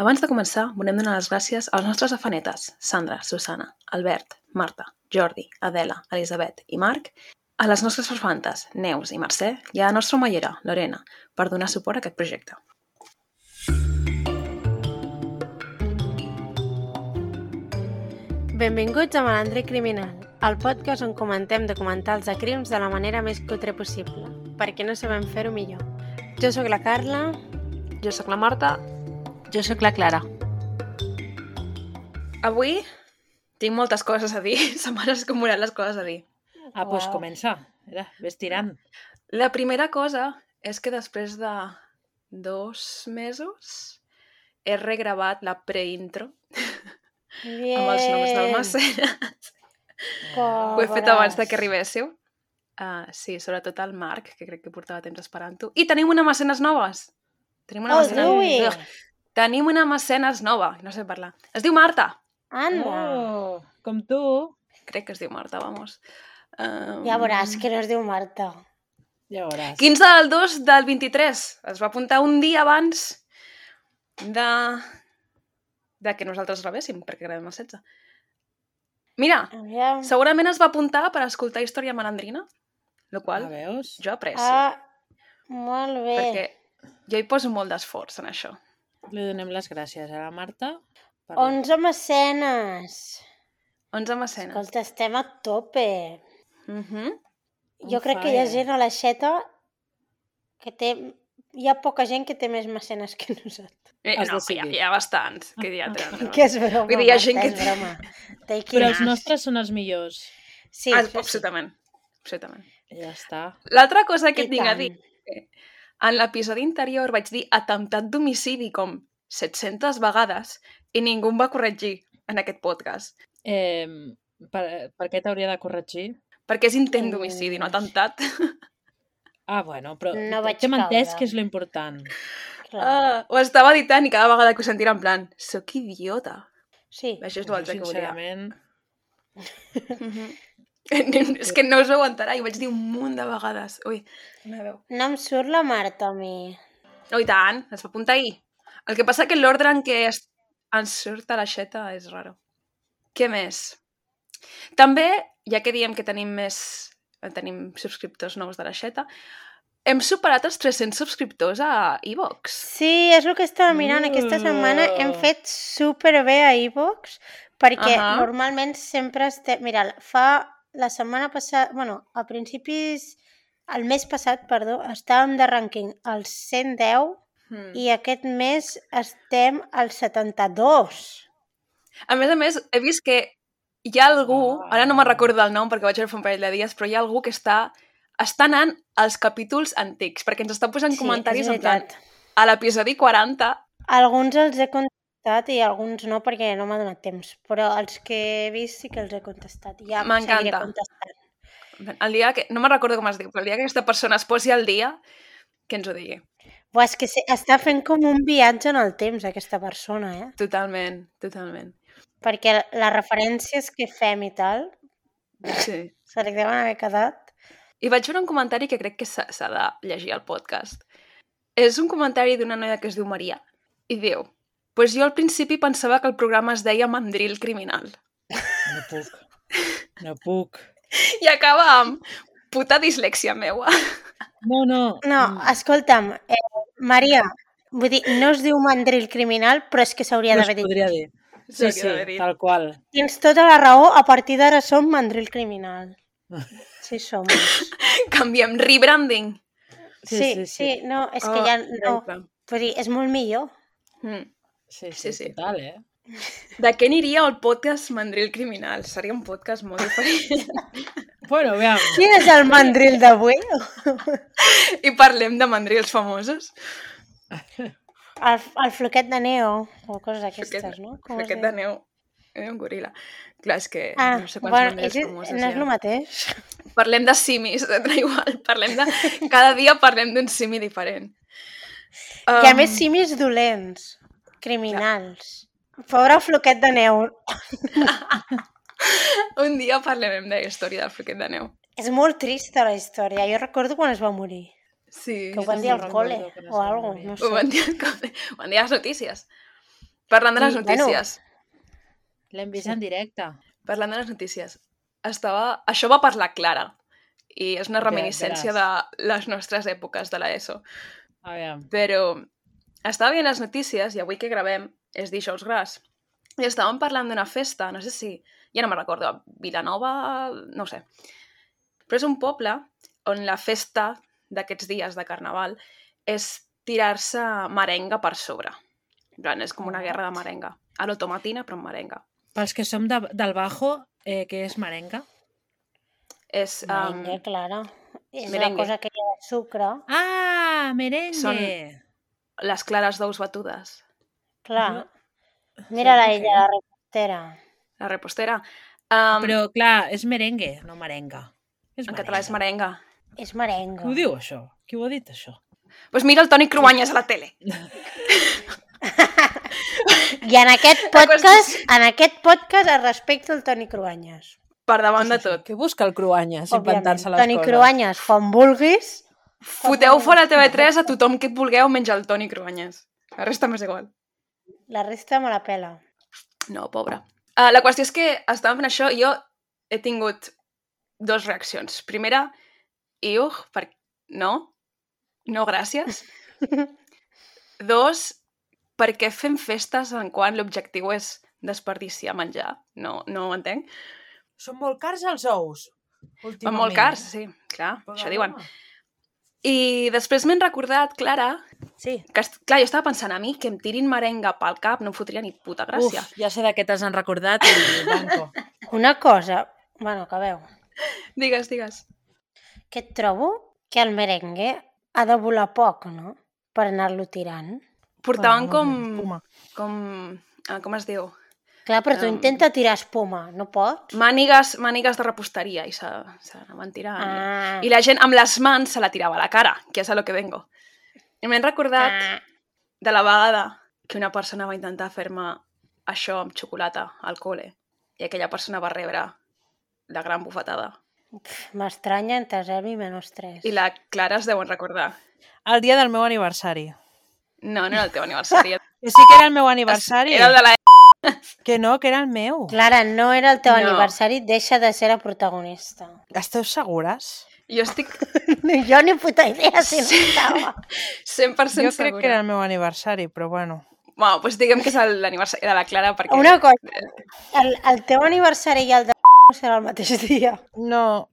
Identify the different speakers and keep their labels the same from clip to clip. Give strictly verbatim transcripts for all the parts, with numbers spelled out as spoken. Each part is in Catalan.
Speaker 1: Abans de començar, volem donar les gràcies als nostres afanetes, Sandra, Susana, Albert, Marta, Jordi, Adela, Elisabet i Marc, a les nostres farfantes, Neus i Mercè, i a la nostra omellera, Lorena, per donar suport a aquest projecte.
Speaker 2: Benvinguts a Malandre Criminal, el podcast on comentem documentals de crims de la manera més cutre possible, perquè no sabem fer-ho millor. Jo sóc la Carla.
Speaker 1: Jo sóc la Marta.
Speaker 3: Jo sóc la Clara.
Speaker 1: Avui tinc moltes coses a dir, se m'han escombrat les coses a dir.
Speaker 3: Ah, doncs pues comença. Era, ves tirant.
Speaker 1: La primera cosa és que després de dos mesos he regravat la preintro
Speaker 2: Bien.
Speaker 1: amb els noms del Mecenes. Ho he fet abans de que arribéssiu. Uh, sí, sobretot el Marc, que crec que portava temps esperant-ho. I tenim una Mecenes noves. Tenim una
Speaker 2: Oh,
Speaker 1: mecenes...
Speaker 2: ui!
Speaker 1: Tenim una Mecenes nova, no sé parlar. Es diu Marta.
Speaker 2: Anda!
Speaker 3: Oh, com tu.
Speaker 1: Crec que es diu Marta, vamos. Um...
Speaker 2: Ja veuràs que no es diu Marta.
Speaker 3: Ja veuràs.
Speaker 1: quinze del dos del vint-i-tres. Es va apuntar un dia abans de, de que nosaltres rebéssim, perquè gravem el setze. Mira,
Speaker 2: Aviam.
Speaker 1: segurament es va apuntar per escoltar Història Malandrina, el qual
Speaker 3: Ah, veus?
Speaker 1: jo aprecio,
Speaker 2: Ah, molt bé.
Speaker 1: perquè jo hi poso molt d'esforç en això.
Speaker 3: Li donem les gràcies a la Marta. Per...
Speaker 2: onze mecenes.
Speaker 1: onze mecenes.
Speaker 2: Escolta, estem a tope.
Speaker 1: Mhm.
Speaker 2: Jo
Speaker 3: On
Speaker 2: crec que hi ha
Speaker 3: fire.
Speaker 2: gent a l'aixeta que té... Hi ha poca gent que té més mecenes que nosaltres.
Speaker 1: Eh,
Speaker 3: Has
Speaker 1: no, hi ha,
Speaker 3: decidit.
Speaker 1: hi ha bastants. Que hi ha tants.
Speaker 2: Que és broma,
Speaker 1: Vull dir, hi ha
Speaker 2: Marta,
Speaker 1: gent que
Speaker 2: és
Speaker 1: té-
Speaker 2: broma. Take it
Speaker 3: Però els
Speaker 2: easy.
Speaker 3: nostres són els millors.
Speaker 2: Sí,
Speaker 1: Ah,
Speaker 2: això sí.
Speaker 1: absolutament. absolutament.
Speaker 3: Ja està.
Speaker 1: L'altra cosa que
Speaker 2: I
Speaker 1: et tinc a
Speaker 2: tant.
Speaker 1: dir, en l'episodi anterior vaig dir atemptat d'homicidi com set-centes vegades i ningú em va corregir en aquest podcast.
Speaker 3: Eh, per, per què t'hauria de corregir?
Speaker 1: Perquè és intent d'homicidi, no atemptat.
Speaker 3: Ah, bueno, però
Speaker 2: No vaig
Speaker 3: t'hem entès
Speaker 2: caure.
Speaker 3: que és lo important.
Speaker 2: Clar.
Speaker 1: Ah, ho estava editant i cada vegada que ho sentia en plan, soc idiota.
Speaker 2: Sí.
Speaker 1: Això és l'altre que volia.
Speaker 3: Sincerament,
Speaker 1: Mhm. És que no us ho aguantarà i ho vaig dir un munt de vegades. Ui, la veu.
Speaker 2: No em surt la Marta a mi.
Speaker 1: Oh, i tant, es va apuntar ahir. El que passa que l'ordre en què es... ens surt a l'aixeta és raro. Què més? També, ja que diem que tenim més... tenim subscriptors nous de l'aixeta, hem superat els tres-cents subscriptors a iVox.
Speaker 2: Sí, és el que estava mirant. Aquesta setmana hem fet superbé a iVox perquè
Speaker 1: Ahà.
Speaker 2: normalment sempre estem... Mira, fa la setmana passada... Bueno, a principis... El mes passat, perdó, estàvem de rànquing als cent deu
Speaker 1: Mm.
Speaker 2: i aquest mes estem als setanta-dos.
Speaker 1: A més a més, he vist que hi ha algú,
Speaker 3: Ah.
Speaker 1: ara no me'n recordo el nom perquè vaig veure fa un parell de dies, però hi ha algú que està, està anant als capítols antics, perquè ens està posant
Speaker 2: Sí,
Speaker 1: comentaris
Speaker 2: és
Speaker 1: en plan,
Speaker 2: veritat.
Speaker 1: a l'episodi quaranta,
Speaker 2: Alguns els he contestat i alguns no perquè no m'ha donat temps, però els que he vist sí que els he contestat. Ja
Speaker 1: M'encanta.
Speaker 2: seguiré contestant.
Speaker 1: el dia que, no me'n recordo com es diu, però el dia que aquesta persona es posi al dia, que ens ho digui.
Speaker 2: Buah, és que se- està fent com un viatge en el temps, aquesta persona, eh?
Speaker 1: Totalment, totalment.
Speaker 2: Perquè les referències que fem i tal
Speaker 1: Sí.
Speaker 2: se li deuen haver quedat.
Speaker 1: I vaig veure un comentari que crec que s'ha s'ha de llegir al podcast. És un comentari d'una noia que es diu Maria i diu, pues jo al principi pensava que el programa es deia Mandril Criminal.
Speaker 3: no puc. No puc.
Speaker 1: I acaba amb puta dislèxia meua.
Speaker 3: No, no.
Speaker 2: No,
Speaker 3: mm,
Speaker 2: escolta'm, eh, Maria, vull dir, no es diu mandril criminal, però és que s'hauria
Speaker 3: no es
Speaker 2: d'haver dit.
Speaker 3: podria dir. Sí,
Speaker 1: S'hauria
Speaker 3: sí,
Speaker 1: d'haver dit.
Speaker 3: tal qual.
Speaker 2: Tens tota la raó, a partir d'ara som mandril criminal. Sí, som.
Speaker 1: Canviem, rebranding.
Speaker 2: Sí,
Speaker 3: Sí,
Speaker 2: sí,
Speaker 3: sí, sí.
Speaker 2: no, és que
Speaker 1: Oh,
Speaker 2: ja no...
Speaker 1: increïble.
Speaker 2: Vull dir, és molt millor.
Speaker 1: Mm.
Speaker 3: Sí,
Speaker 1: Sí,
Speaker 3: sí,
Speaker 1: sí.
Speaker 3: total, eh?
Speaker 1: De què aniria el podcast Mandril Criminal? Seria un podcast molt diferent.
Speaker 3: Bueno, aviam.
Speaker 2: Quin és el mandril d'avui?
Speaker 1: I parlem de mandrils famosos.
Speaker 2: El, el floquet de neo, o coses d'aquestes,
Speaker 1: Floquet-
Speaker 2: no? Com es
Speaker 1: Floquet
Speaker 2: diu?
Speaker 1: de neu. Eh, un goril·la. Clar, és que
Speaker 2: Ah,
Speaker 1: no sé quants
Speaker 2: bueno,
Speaker 1: mandrils
Speaker 2: és,
Speaker 1: famosos
Speaker 2: no
Speaker 1: hi
Speaker 2: és
Speaker 1: ha.
Speaker 2: el mateix.
Speaker 1: Parlem de simis, da igual. Parlem de... Cada dia parlem d'un simi diferent.
Speaker 2: Um... Hi ha
Speaker 1: Um,
Speaker 2: més simis dolents, criminals. Pobre floquet de neu.
Speaker 1: Un dia parlarem de la història del floquet de neu.
Speaker 2: És molt trista la història. Jo recordo quan es va morir.
Speaker 1: Sí.
Speaker 2: Que ho van dir al
Speaker 3: no
Speaker 2: col·le
Speaker 3: recordo quan es
Speaker 2: o
Speaker 3: va
Speaker 2: alguna
Speaker 3: morir.
Speaker 2: no
Speaker 1: Ho
Speaker 2: sé.
Speaker 1: van dir, ho van dir a les notícies. Parlant de les
Speaker 2: I, bueno,
Speaker 1: notícies.
Speaker 3: L'hem vist
Speaker 2: Sí.
Speaker 3: en directe.
Speaker 1: Parlant de les notícies. Estava... Això va per la Clara. I és una
Speaker 3: Ja,
Speaker 1: reminiscència de les nostres èpoques de l'ESO.
Speaker 3: Aviam.
Speaker 1: Però estava veient les notícies i avui que gravem és dijous gras. I estàvem parlant d'una festa, no sé si... Ja no me'n recordo, Vilanova... no ho sé. Però és un poble on la festa d'aquests dies de Carnaval és tirar-se merenga per sobre. En plan, és com una guerra de merenga. A l'automatina, però amb merenga.
Speaker 3: Pels que som de, del Bajo, eh, què és merenga?
Speaker 1: És... Um,
Speaker 2: merengue, claro. És
Speaker 1: merengue.
Speaker 2: una cosa que hi ha de sucre.
Speaker 3: Ah, merengue!
Speaker 1: Són- les clares d'ous batudes.
Speaker 2: Clar.
Speaker 3: Jo-
Speaker 2: Mira-la
Speaker 3: Sap
Speaker 2: ella,
Speaker 3: què?
Speaker 2: la repostera.
Speaker 1: La repostera. Um,
Speaker 3: Però, clar, és merengue, no merenga. És
Speaker 1: en català és merenga.
Speaker 2: És
Speaker 3: Qui
Speaker 2: merengue.
Speaker 3: ho diu, això? Qui ho ha dit, això?
Speaker 1: Doncs pues mira el Toni Cruanyes a la tele.
Speaker 2: I en aquest podcast, en aquest podcast es respecta el Toni Cruanyes.
Speaker 1: Per davant de tot.
Speaker 3: Què busca el Cruanyes
Speaker 2: Òbviament.
Speaker 3: inventant-se les
Speaker 2: Toni
Speaker 3: coses?
Speaker 2: Cruanyes, quan vulguis.
Speaker 1: Foteu fora T V tres a tothom que et vulgueu menys el Toni Cruanyes. La resta m'és igual.
Speaker 2: La resta me la pela.
Speaker 1: No, pobra. Uh, la qüestió és que estàvem fent això i jo he tingut dos reaccions. Primera, iuh, per... no, no gràcies. Dos, per què fem festes en quan l'objectiu és desperdiciar menjar? No, no ho entenc.
Speaker 3: Són molt cars els ous,
Speaker 1: Van
Speaker 3: últimament.
Speaker 1: molt cars, sí, clar,
Speaker 3: Però,
Speaker 1: això diuen.
Speaker 3: home.
Speaker 1: I després m'he recordat, Clara,
Speaker 3: Sí.
Speaker 1: que, est- clar, jo estava pensant a mi que em tirin merenga pel cap no em fotria ni puta gràcia.
Speaker 3: Uf, ja sé de què t'has recordat i banco.
Speaker 2: Una cosa, bueno, acabeu,
Speaker 1: Digues, digues.
Speaker 2: que et trobo que el merengue ha de volar poc, no? Per anar-lo tirant.
Speaker 1: Portaven
Speaker 3: Bueno,
Speaker 1: com...
Speaker 3: no sé, espuma.
Speaker 1: com... ah, com es diu?
Speaker 2: Clar, però tu
Speaker 1: Um,
Speaker 2: intenta tirar espuma, no pots?
Speaker 1: Mànigues, mànigues de reposteria i se, se n'anaven tirant.
Speaker 2: Ah,
Speaker 1: I la gent amb les mans se la tirava a la cara, que és a lo que vengo. I m'he recordat
Speaker 2: ah,
Speaker 1: de la vegada que una persona va intentar fer-me això amb xocolata al col·le i aquella persona va rebre la gran bufetada.
Speaker 2: pf, m'estranya entre zero i menys tres.
Speaker 1: I la Clara es deuen recordar.
Speaker 3: El dia del meu aniversari.
Speaker 1: No, no era el teu aniversari.
Speaker 3: Que sí que era el meu aniversari.
Speaker 1: Era el de la...
Speaker 3: Que no, que era el meu.
Speaker 2: Clara, no era el teu
Speaker 1: No.
Speaker 2: aniversari, deixa de ser la protagonista.
Speaker 3: Esteu segures?
Speaker 1: Jo estic
Speaker 2: Jo ni puta idea si no estava.
Speaker 1: cent per cent
Speaker 3: Jo crec
Speaker 1: segura.
Speaker 3: que era el meu aniversari, però bueno.
Speaker 1: Bueno, doncs diguem que és el- l'aniversari de la Clara perquè...
Speaker 2: Una cosa, el, el teu aniversari i el de no serà el mateix dia.
Speaker 3: No,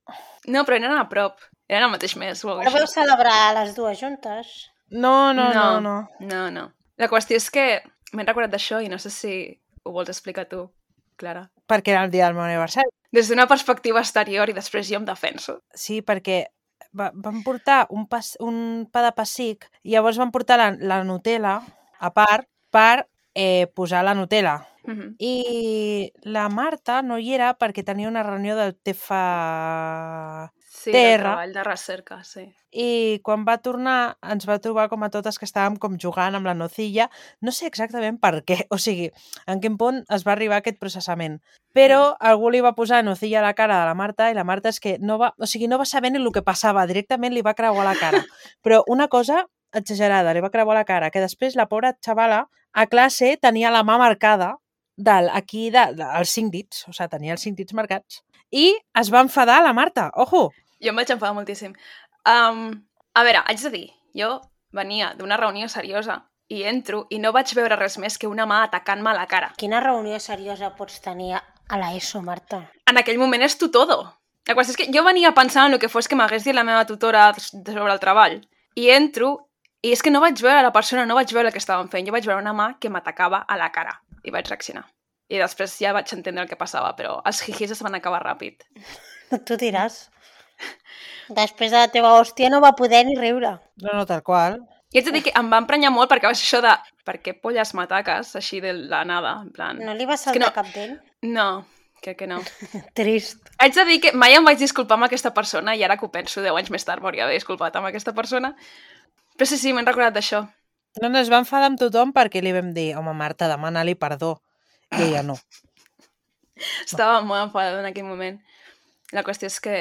Speaker 1: No, però eren a prop. Eren al mateix mes. o alguna
Speaker 2: Però
Speaker 1: cosa
Speaker 2: vau celebrar les dues juntes.
Speaker 3: no, no, no, no.
Speaker 1: no. No, no. La qüestió és que m'he recordat d'això i no sé si ho vols explicar tu, Clara.
Speaker 3: Perquè era el dia del meu aniversari.
Speaker 1: Des d'una perspectiva exterior i després jo em defenso.
Speaker 3: Sí, perquè va, van portar un, pas, un pa de pessic i llavors van portar la, la Nutella a part per eh, posar la Nutella.
Speaker 1: Mhm.
Speaker 3: I la Marta no hi era perquè tenia una reunió del T F A
Speaker 1: Sí, del
Speaker 3: Terra.
Speaker 1: treball de recerca, sí.
Speaker 3: i quan va tornar ens va trobar com a totes que estàvem com jugant amb la nocilla. No sé exactament per què, o sigui, en quin punt es va arribar a aquest processament. Però algú li va posar nocilla a la cara de la Marta i la Marta és que no va, o sigui, no va saber ni el que passava, directament li va creuar la cara. Però una cosa exagerada, li va creuar la cara, que després la pobra xavala a classe tenia la mà marcada del, aquí, de, de, els cinc dits, o sigui, tenia els cinc dits marcats. I es va enfadar la Marta, ojo!
Speaker 1: Jo em vaig enfadar moltíssim. Um, a veure, haig de dir, jo venia d'una reunió seriosa i entro i no vaig veure res més que una mà atacant-me a la cara.
Speaker 2: Quina reunió seriosa pots tenir a l'ESO, Marta?
Speaker 1: En aquell moment és tu todo. La qüestió és que jo venia pensant en el que fos que m'hagués dit la meva tutora sobre el treball. I entro i és que no vaig veure la persona, no vaig veure el que estaven fent. Jo vaig veure una mà que m'atacava a la cara i vaig reaccionar. I després ja vaig entendre el que passava, però els jijis es van acabar ràpid.
Speaker 2: Tu diràs. Després de la teva hòstia no va poder ni riure.
Speaker 3: No, no, tal qual.
Speaker 1: I haig de dir que em va emprenyar molt perquè va ser això de per què polles m'ataques així de la nada, en plan...
Speaker 2: No li va
Speaker 1: que
Speaker 2: saltar
Speaker 1: no.
Speaker 2: cap d'ell?
Speaker 1: No, crec que no.
Speaker 2: Trist.
Speaker 1: Haig de dir que mai em vaig disculpar amb aquesta persona i ara que ho penso, deu anys més tard m'hauria d'haver disculpat amb aquesta persona. Però sí, sí, m'he recordat d'això.
Speaker 3: No, no, es va enfadar amb tothom perquè li vam dir, home, Marta, demana-li perdó. I ella no.
Speaker 1: Estava molt enfadada en aquell moment. La qüestió és que,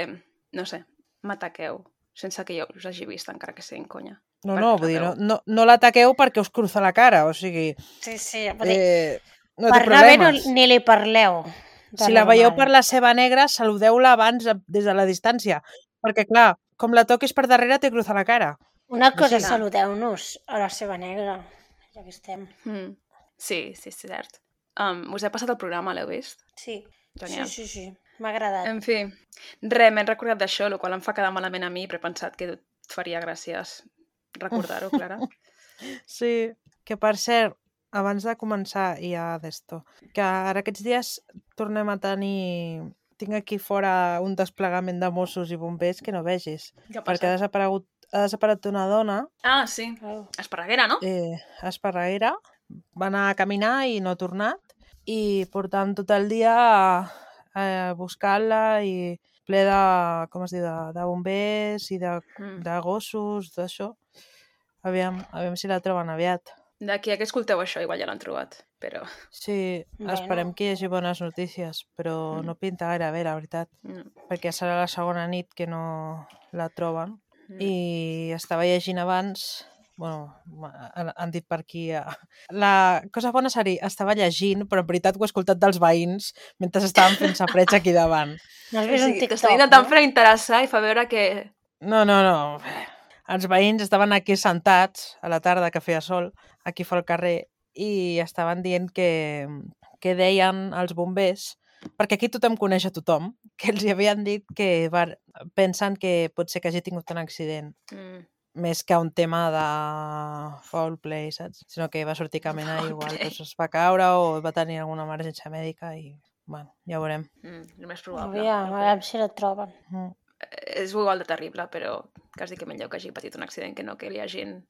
Speaker 1: no sé, m'ataqueu sense que jo us hagi vist, encara que sigui en conya.
Speaker 3: No,
Speaker 1: perquè
Speaker 3: no,
Speaker 1: us
Speaker 3: vull dir, no,
Speaker 1: rateu.
Speaker 3: no, no l'ataqueu perquè us cruza la cara, o sigui,
Speaker 2: Sí, sí, vull dir,
Speaker 3: eh, no
Speaker 2: per
Speaker 3: té
Speaker 2: anar bé no,
Speaker 3: problemes.
Speaker 2: ni li parleu. De
Speaker 3: Si la veieu
Speaker 2: normal.
Speaker 3: per la seva negra, saludeu-la abans a- des de la distància, perquè clar, com la toquis per darrere te cruza la cara.
Speaker 2: Una cosa,
Speaker 3: Sí.
Speaker 2: saludeu-nos a la seva negra, ja que estem.
Speaker 1: Mm. Sí, sí, sí, cert. Um, us he passat el programa, l'heu vist?
Speaker 2: Sí,
Speaker 1: Genial.
Speaker 2: sí, sí, sí. M'ha agradat.
Speaker 1: En fi, res, m'he recordat d'això, el qual em fa quedar malament a mi, però he pensat que et faria gràcies recordar-ho, Clara.
Speaker 3: Sí, que per cert, abans de començar ja d'esto, que ara aquests dies tornem a tenir... Tinc aquí fora un desplegament de Mossos i bombers que no vegis,
Speaker 1: Què ha
Speaker 3: perquè ha
Speaker 1: passat?
Speaker 3: desaparegut, ha desaparegut una dona,
Speaker 1: Ah, sí.
Speaker 2: Oh.
Speaker 1: Esparreguera, no?
Speaker 3: eh, a Esparreguera, va anar a caminar i no ha tornat, i portant tot el dia eh, buscant-la i ple de, com es diu, de, de bombers i de,
Speaker 1: Mm.
Speaker 3: de gossos, d'això. Aviam, aviam si la troben aviat.
Speaker 1: D'aquí a que escolteu això, igual ja l'han trobat, però...
Speaker 3: Sí,
Speaker 2: Bueno.
Speaker 3: esperem que hi hagi bones notícies, però
Speaker 1: Mm.
Speaker 3: no pinta gaire bé, la veritat,
Speaker 1: No.
Speaker 3: perquè serà la segona nit que no la troben.
Speaker 1: Mm.
Speaker 3: I estava llegint abans, bueno, ma- han, han dit per aquí... eh, La cosa bona seria, estava llegint, però en veritat ho he escoltat dels veïns mentre estaven fent safareig aquí davant.
Speaker 2: No has
Speaker 1: O
Speaker 2: vist un
Speaker 1: sigui,
Speaker 2: TikTok,
Speaker 1: t'estan intentant
Speaker 2: no?
Speaker 1: fer interessar i fa veure que...
Speaker 3: No, no, no. Els veïns estaven aquí sentats a la tarda que feia sol, aquí fora al carrer, i estaven dient que, que deien als bombers, perquè aquí tothom coneix a tothom, que els hi havien dit que var, pensen que pot ser que hagi tingut un accident,
Speaker 1: Mm.
Speaker 3: més que un tema de foul play, saps? Sinó que va sortir caminant i
Speaker 1: Foul
Speaker 3: igual
Speaker 1: play.
Speaker 3: doncs, es va caure o va tenir alguna emergència mèdica i, bueno, ja ho veurem.
Speaker 1: Mm. El més probable.
Speaker 2: Aviam,
Speaker 1: però
Speaker 2: a
Speaker 1: que-
Speaker 2: veure si la troben.
Speaker 3: Mm.
Speaker 1: És igual de terrible, però quasi que millor que hagi patit un accident que no que li hagin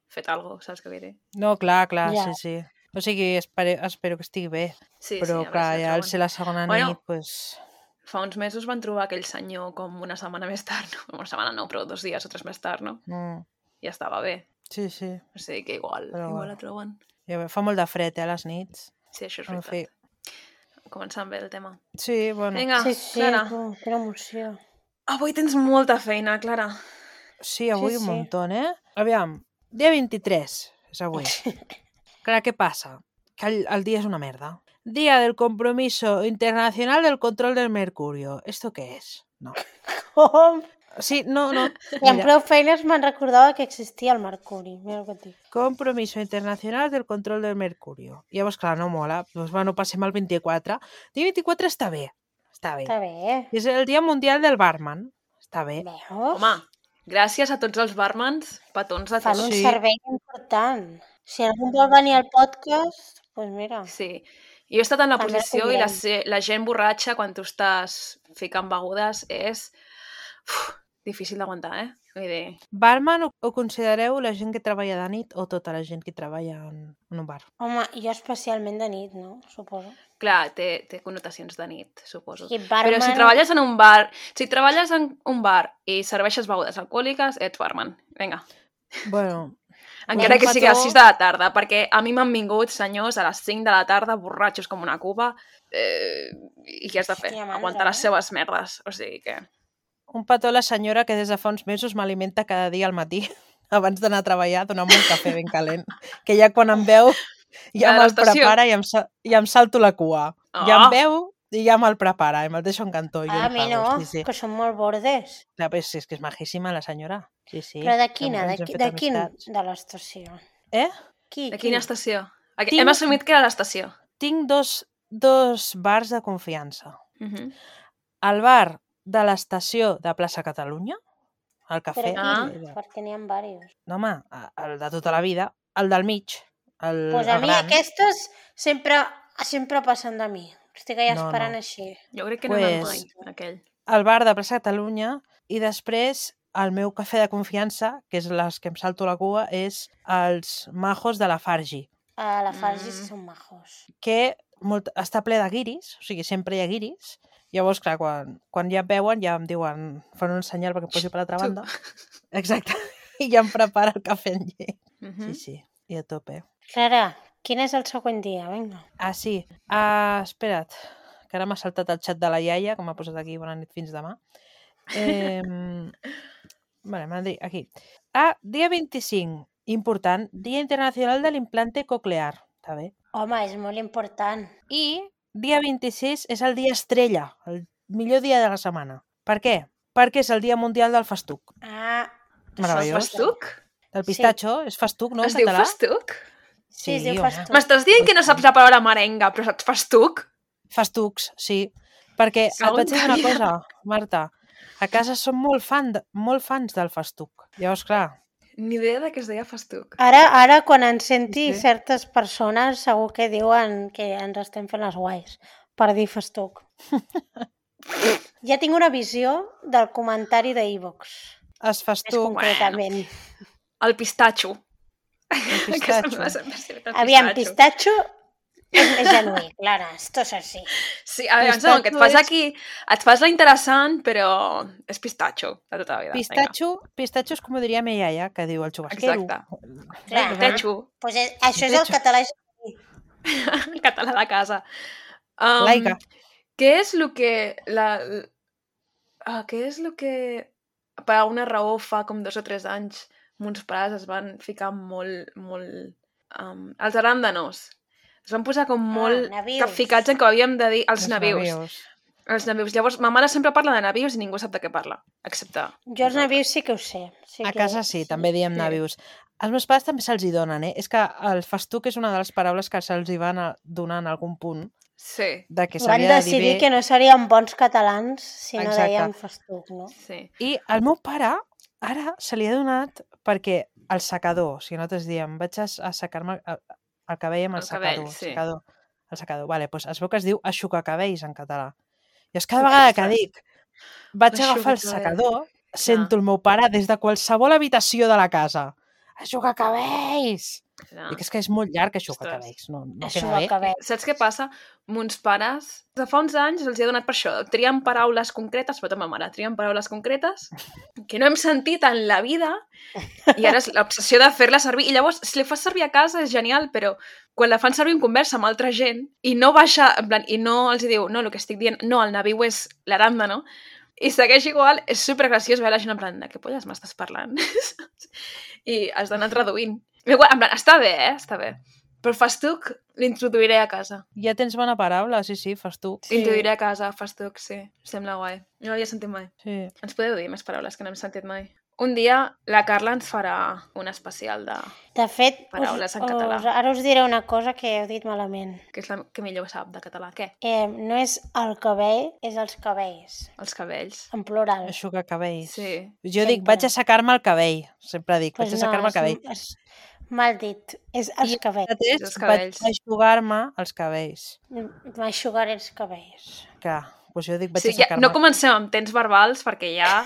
Speaker 1: fet alguna cosa, saps què vull dir?
Speaker 3: No, clar, clar,
Speaker 2: Ja.
Speaker 3: sí, sí. O sigui, espero, espero que estigui bé.
Speaker 1: Sí,
Speaker 3: Però,
Speaker 1: sí, a veure
Speaker 3: clar,
Speaker 1: si la
Speaker 3: ja al
Speaker 1: troben.
Speaker 3: ser la segona
Speaker 1: Bueno.
Speaker 3: nit, pues...
Speaker 1: Fa uns mesos van trobar aquell senyor com una setmana més tard, no? Una setmana no, però dos dies o tres més tard, no?
Speaker 3: Mm,
Speaker 1: Ja estava bé.
Speaker 3: sí, sí.
Speaker 1: O sigui que igual,
Speaker 3: Però
Speaker 1: igual
Speaker 3: bueno.
Speaker 1: la troben.
Speaker 3: Ja ve, fa molt de fred, eh, a les nits.
Speaker 1: Sí, això és
Speaker 3: En fi.
Speaker 1: veritat. Començant bé el tema.
Speaker 3: Sí, bueno.
Speaker 1: Vinga,
Speaker 2: Sí, sí,
Speaker 1: Clara.
Speaker 2: tu, quina emoció.
Speaker 1: Avui tens molta feina, Clara.
Speaker 3: Sí, avui
Speaker 2: Sí,
Speaker 3: un
Speaker 2: sí.
Speaker 3: muntó, eh? Aviam, dia vint-i-tres és avui. Clar, què passa? Que el, el dia és una merda. Día del Compromiso Internacional del Control del Mercurio. ¿Esto qué es? No.
Speaker 2: Com?
Speaker 3: Sí, no, no.
Speaker 2: I amb
Speaker 3: Mira,
Speaker 2: prou feines me'n recordava que existia el mercuri. Mira el que et dic.
Speaker 3: Compromiso Internacional del Control del Mercurio. Llavors, clar, no mola. Doncs, bueno, passem al vint-i-quatre. Dia vint-i-quatre està bé. Està bé.
Speaker 2: Està bé.
Speaker 3: És el Dia Mundial del Barman. Està bé.
Speaker 2: Veus?
Speaker 1: Home, gràcies a tots els barmans, petons de
Speaker 2: Fan
Speaker 1: tots.
Speaker 2: un
Speaker 3: Sí.
Speaker 2: servei important. Si algú vol venir al podcast, doncs pues mira.
Speaker 1: Sí. Jo he estat en la
Speaker 2: També
Speaker 1: posició i la,
Speaker 2: tindrem.
Speaker 1: se- la gent borratxa quan tu estàs ficant begudes és uf, difícil d'aguantar, eh? Vull dir,
Speaker 3: Barman ho, ho considereu la gent que treballa de nit o tota la gent que treballa en, en un bar?
Speaker 2: Home, jo especialment de nit, no? Suposo.
Speaker 1: clar, té, té connotacions de nit, suposo.
Speaker 2: I
Speaker 1: Però si
Speaker 2: barman-
Speaker 1: treballes en un bar, si treballes en un bar i serveixes begudes alcohòliques, ets barman. Vinga.
Speaker 3: Bueno,
Speaker 1: Encara
Speaker 3: un
Speaker 1: que sigui a les
Speaker 3: petó-
Speaker 1: sis de la tarda, perquè a mi m'han vingut senyors a les cinc de la tarda, borratxos com una cuba, eh, i què has de fer?
Speaker 2: Hòstia, mandra,
Speaker 1: Aguantar les
Speaker 2: eh?
Speaker 1: seves merdes. O sigui que...
Speaker 3: un petó a la senyora que des de fa uns mesos m'alimenta cada dia al matí abans d'anar a treballar, donant-me un cafè ben calent, que ja quan em veu ja
Speaker 1: La de
Speaker 3: me'l
Speaker 1: l'estació.
Speaker 3: prepara i em, sa- i em salto la cua.
Speaker 1: Oh.
Speaker 3: Ja em veu i ja me'l prepara i me'l deixo en cantó. i jo
Speaker 2: Ah, a
Speaker 3: li
Speaker 2: mi
Speaker 3: pago,
Speaker 2: no,
Speaker 3: sí, sí.
Speaker 2: que són molt bordes.
Speaker 3: Clar, però és, és que és majíssima la senyora. Sí, sí.
Speaker 2: Però de
Speaker 3: Hem-
Speaker 2: quina? De,
Speaker 3: ens hem
Speaker 2: qui,
Speaker 3: fet
Speaker 2: de quin?
Speaker 3: amistats.
Speaker 2: De l'estació.
Speaker 3: Eh?
Speaker 2: Qui?
Speaker 1: De
Speaker 2: qui?
Speaker 1: quina estació? Aquí-
Speaker 3: Tinc-
Speaker 1: Hem assumit que era l'estació.
Speaker 3: Tinc dos, dos bars de confiança.
Speaker 1: Uh -huh.
Speaker 3: El bar de l'estació de Plaça Catalunya, el
Speaker 2: Però
Speaker 3: cafè...
Speaker 2: quin?
Speaker 1: Ah.
Speaker 2: Perquè n'hi ha diversos.
Speaker 3: No, home, el de tota la vida, el del mig, el,
Speaker 2: Pues a
Speaker 3: el
Speaker 2: mi
Speaker 3: gran.
Speaker 2: aquestes sempre, sempre passen de mi. Estic allà
Speaker 3: No,
Speaker 2: esperant
Speaker 3: no.
Speaker 2: així.
Speaker 1: Jo crec que no pues...
Speaker 3: Pues-
Speaker 1: mai, aquell.
Speaker 3: El bar de Plaça Catalunya i després el meu cafè de confiança, que és les que em salto la cua, és els majos de la Fargi,
Speaker 2: A la Fargi
Speaker 1: Mm.
Speaker 2: sí són majos.
Speaker 3: que molt, està ple de guiris, o sigui, sempre hi ha guiris. Llavors, clar, quan, quan ja em veuen, ja em diuen, fan un senyal perquè em posi per l'altra
Speaker 1: Tu.
Speaker 3: banda. Exacte. I ja em prepara el cafè en llet.
Speaker 1: Uh
Speaker 3: Sí,
Speaker 1: -huh.
Speaker 3: sí, i a tope.
Speaker 2: Clara, quin és el següent dia? Vinga.
Speaker 3: Ah, sí. Uh, espera't, que ara m'ha saltat el xat de la iaia, que m'ha posat aquí bona nit fins demà. Eh, vale, m'ha dit aquí. Ah, dia vint-i-cinc, important, Dia Internacional de l'Implante Coclear. Està bé.
Speaker 2: Home, és molt important.
Speaker 3: I dia vint-i-sis és el dia estrella, el millor dia de la setmana. Per què? Perquè és el dia mundial del festuc.
Speaker 2: Ah,
Speaker 1: El
Speaker 3: Meravellós.
Speaker 1: festuc?
Speaker 3: Del pistatxo, és festuc, no, en
Speaker 1: Es diu
Speaker 3: català?
Speaker 1: festuc?
Speaker 2: sí, es diu
Speaker 3: home.
Speaker 2: festuc.
Speaker 1: M'estàs dient que no saps la paraula merenga, però saps festuc?
Speaker 3: Festucs, sí. Perquè et
Speaker 1: Segon
Speaker 3: vaig dir una
Speaker 1: dia.
Speaker 3: cosa, Marta. A casa som molt, fan de, molt fans del festuc. Llavors, clar,
Speaker 1: Ni idea de que es deia festuc.
Speaker 2: Ara, ara quan ens senti
Speaker 3: Sí.
Speaker 2: certes persones, segur que diuen que ens estem fent les guais per dir festuc. Ja tinc una visió del comentari de iVox,
Speaker 3: es
Speaker 2: més
Speaker 3: festuc,
Speaker 2: concretament.
Speaker 1: El pistatxo.
Speaker 3: el
Speaker 1: Que
Speaker 3: pistatxo.
Speaker 1: sembla sempre ser el
Speaker 2: Aviam, pistatxo és més genuí, Clara, esto és així.
Speaker 1: Sí, a veure,
Speaker 3: Pistatxo
Speaker 1: no, que et fas
Speaker 3: és-
Speaker 1: aquí, et fas la interessant, però és pistatxo de tota la vida.
Speaker 3: Pistatxo, pistatxo és com ho diria mi iaia, que diu el xubasquero.
Speaker 1: Exacte.
Speaker 2: Clar.
Speaker 1: Vinga. Pistatxo,
Speaker 2: Pues és, això és el
Speaker 3: Pistatxo.
Speaker 2: català.
Speaker 1: el català de casa. Um,
Speaker 3: Laica.
Speaker 1: Què és el que... La, uh, què és el que per alguna raó fa com dos o tres anys mons pares es van ficar molt, molt... Um, els aràndanos. Es van posar com molt
Speaker 2: nabius.
Speaker 1: capficats en que ho havíem de dir els,
Speaker 3: Els
Speaker 1: nabius.
Speaker 3: nabius.
Speaker 1: Els nabius. Llavors, ma mare sempre parla de nabius i ningú sap de què parla, excepte...
Speaker 2: Jo els navius sí que ho sé. Sí
Speaker 3: A
Speaker 2: que...
Speaker 3: casa sí, també diem
Speaker 1: Sí.
Speaker 3: nabius. Els meus pares també se'ls hi donen, eh? És que el festuc és una de les paraules que se'ls hi van a donar en algun punt,
Speaker 1: Sí,
Speaker 3: de que
Speaker 2: Van
Speaker 3: s'havia de dir
Speaker 2: decidir
Speaker 3: bé.
Speaker 2: que no serien bons catalans si no
Speaker 3: Exacte.
Speaker 2: deien festuc, no?
Speaker 1: sí.
Speaker 3: I al meu pare, ara se li ha donat perquè el secador, si nosaltres diem, vaig a, a secar-me el, el cabell amb el,
Speaker 1: El cabell,
Speaker 3: secador.
Speaker 1: sí.
Speaker 3: secador. El secador. Vale, doncs es veu que es diu aixucacabells en català. I és cada vegada que
Speaker 1: Ostres.
Speaker 3: dic vaig agafar el
Speaker 1: Aixucacabells.
Speaker 3: secador, sento el meu pare des de qualsevol habitació de la casa. Aixucacabells!
Speaker 1: Ja.
Speaker 3: Dic, és que és molt llarg
Speaker 1: Ostres.
Speaker 3: aixucacabells. No, no
Speaker 2: Això
Speaker 3: queda
Speaker 2: va
Speaker 3: bé.
Speaker 2: acabar.
Speaker 1: Saps què passa? Mons pares, de fa uns anys els hi ha donat per això. Trien paraules concretes, però ma mare, trien paraules concretes que no hem sentit en la vida i ara és l'obsessió de fer-la servir. I llavors, si la fas servir a casa és genial, però quan la fan servir en conversa amb altra gent i no baixa, en plan, i no els hi diu, no, el que estic dient, no, el nabiu és l'aràndano, i segueix igual, és supergraciós veure la gent en plan, de què polles m'estàs parlant? I has d'anar reduint. Igual, en plan, està bé, eh? Està bé. Però festuc l'introduiré a casa.
Speaker 3: Ja tens bona paraula, sí, sí, festuc.
Speaker 1: Sí. L'introduiré a casa, festuc, sí. Sembla guai. No l'havia sentit mai.
Speaker 3: Sí.
Speaker 1: Ens podeu dir més paraules que no hem sentit mai? Un dia la Carla ens farà un especial de...
Speaker 2: De fet,
Speaker 1: Paraules
Speaker 2: us,
Speaker 1: en català.
Speaker 2: us, ara us diré una cosa que heu dit malament.
Speaker 1: que és la que millor sap de català. Què?
Speaker 2: Eh, no és el cabell, és els cabells,
Speaker 1: Els cabells.
Speaker 2: en plural.
Speaker 3: Aixucacabells.
Speaker 1: Sí.
Speaker 3: Jo dic,
Speaker 2: Sempre.
Speaker 3: vaig a secar-me el cabell. Sempre dic,
Speaker 2: Pues
Speaker 3: vaig a secar-me el cabell.
Speaker 2: És, és mal dit, és els
Speaker 3: I
Speaker 2: cabells.
Speaker 3: mateix
Speaker 1: Els
Speaker 3: vaig
Speaker 1: cabells.
Speaker 3: aixugar-me els cabells.
Speaker 2: M'aixugar els cabells.
Speaker 3: Clar, doncs jo dic, vaig
Speaker 1: Sí,
Speaker 3: a
Speaker 1: ja,
Speaker 3: secar-me...
Speaker 1: no comencem amb temps verbals perquè ja...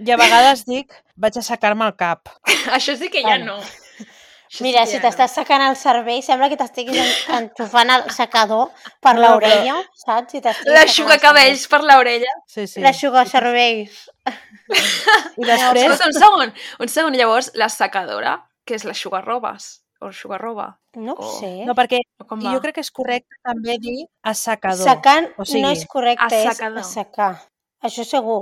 Speaker 3: I a vegades dic, vaig a secar-me el cap.
Speaker 1: Això sí que ja
Speaker 2: Vale.
Speaker 1: no. Això
Speaker 2: Mira,
Speaker 1: sí
Speaker 2: si
Speaker 1: que ja
Speaker 2: t'estàs secant el cervell, sembla que t'estiguis en- enxufant el secador per
Speaker 3: No,
Speaker 2: l'orella, saps? Si
Speaker 1: no.
Speaker 2: t'estiguis
Speaker 1: L'aixuga cabells per l'orella.
Speaker 3: Sí, sí.
Speaker 2: L'aixugar cervells.
Speaker 3: I després,
Speaker 1: Escolta, un segon. Un segon. Llavors, la secadora, que és l'aixugarrobes. O l'aixugarroba.
Speaker 2: No ho
Speaker 1: Oh.
Speaker 2: sé.
Speaker 3: no, perquè
Speaker 1: O com va?
Speaker 3: jo crec que és correcte també dir assecador.
Speaker 2: Secant
Speaker 3: O sigui,
Speaker 2: no és correcte, és
Speaker 1: assecador.
Speaker 2: assecar. Això segur.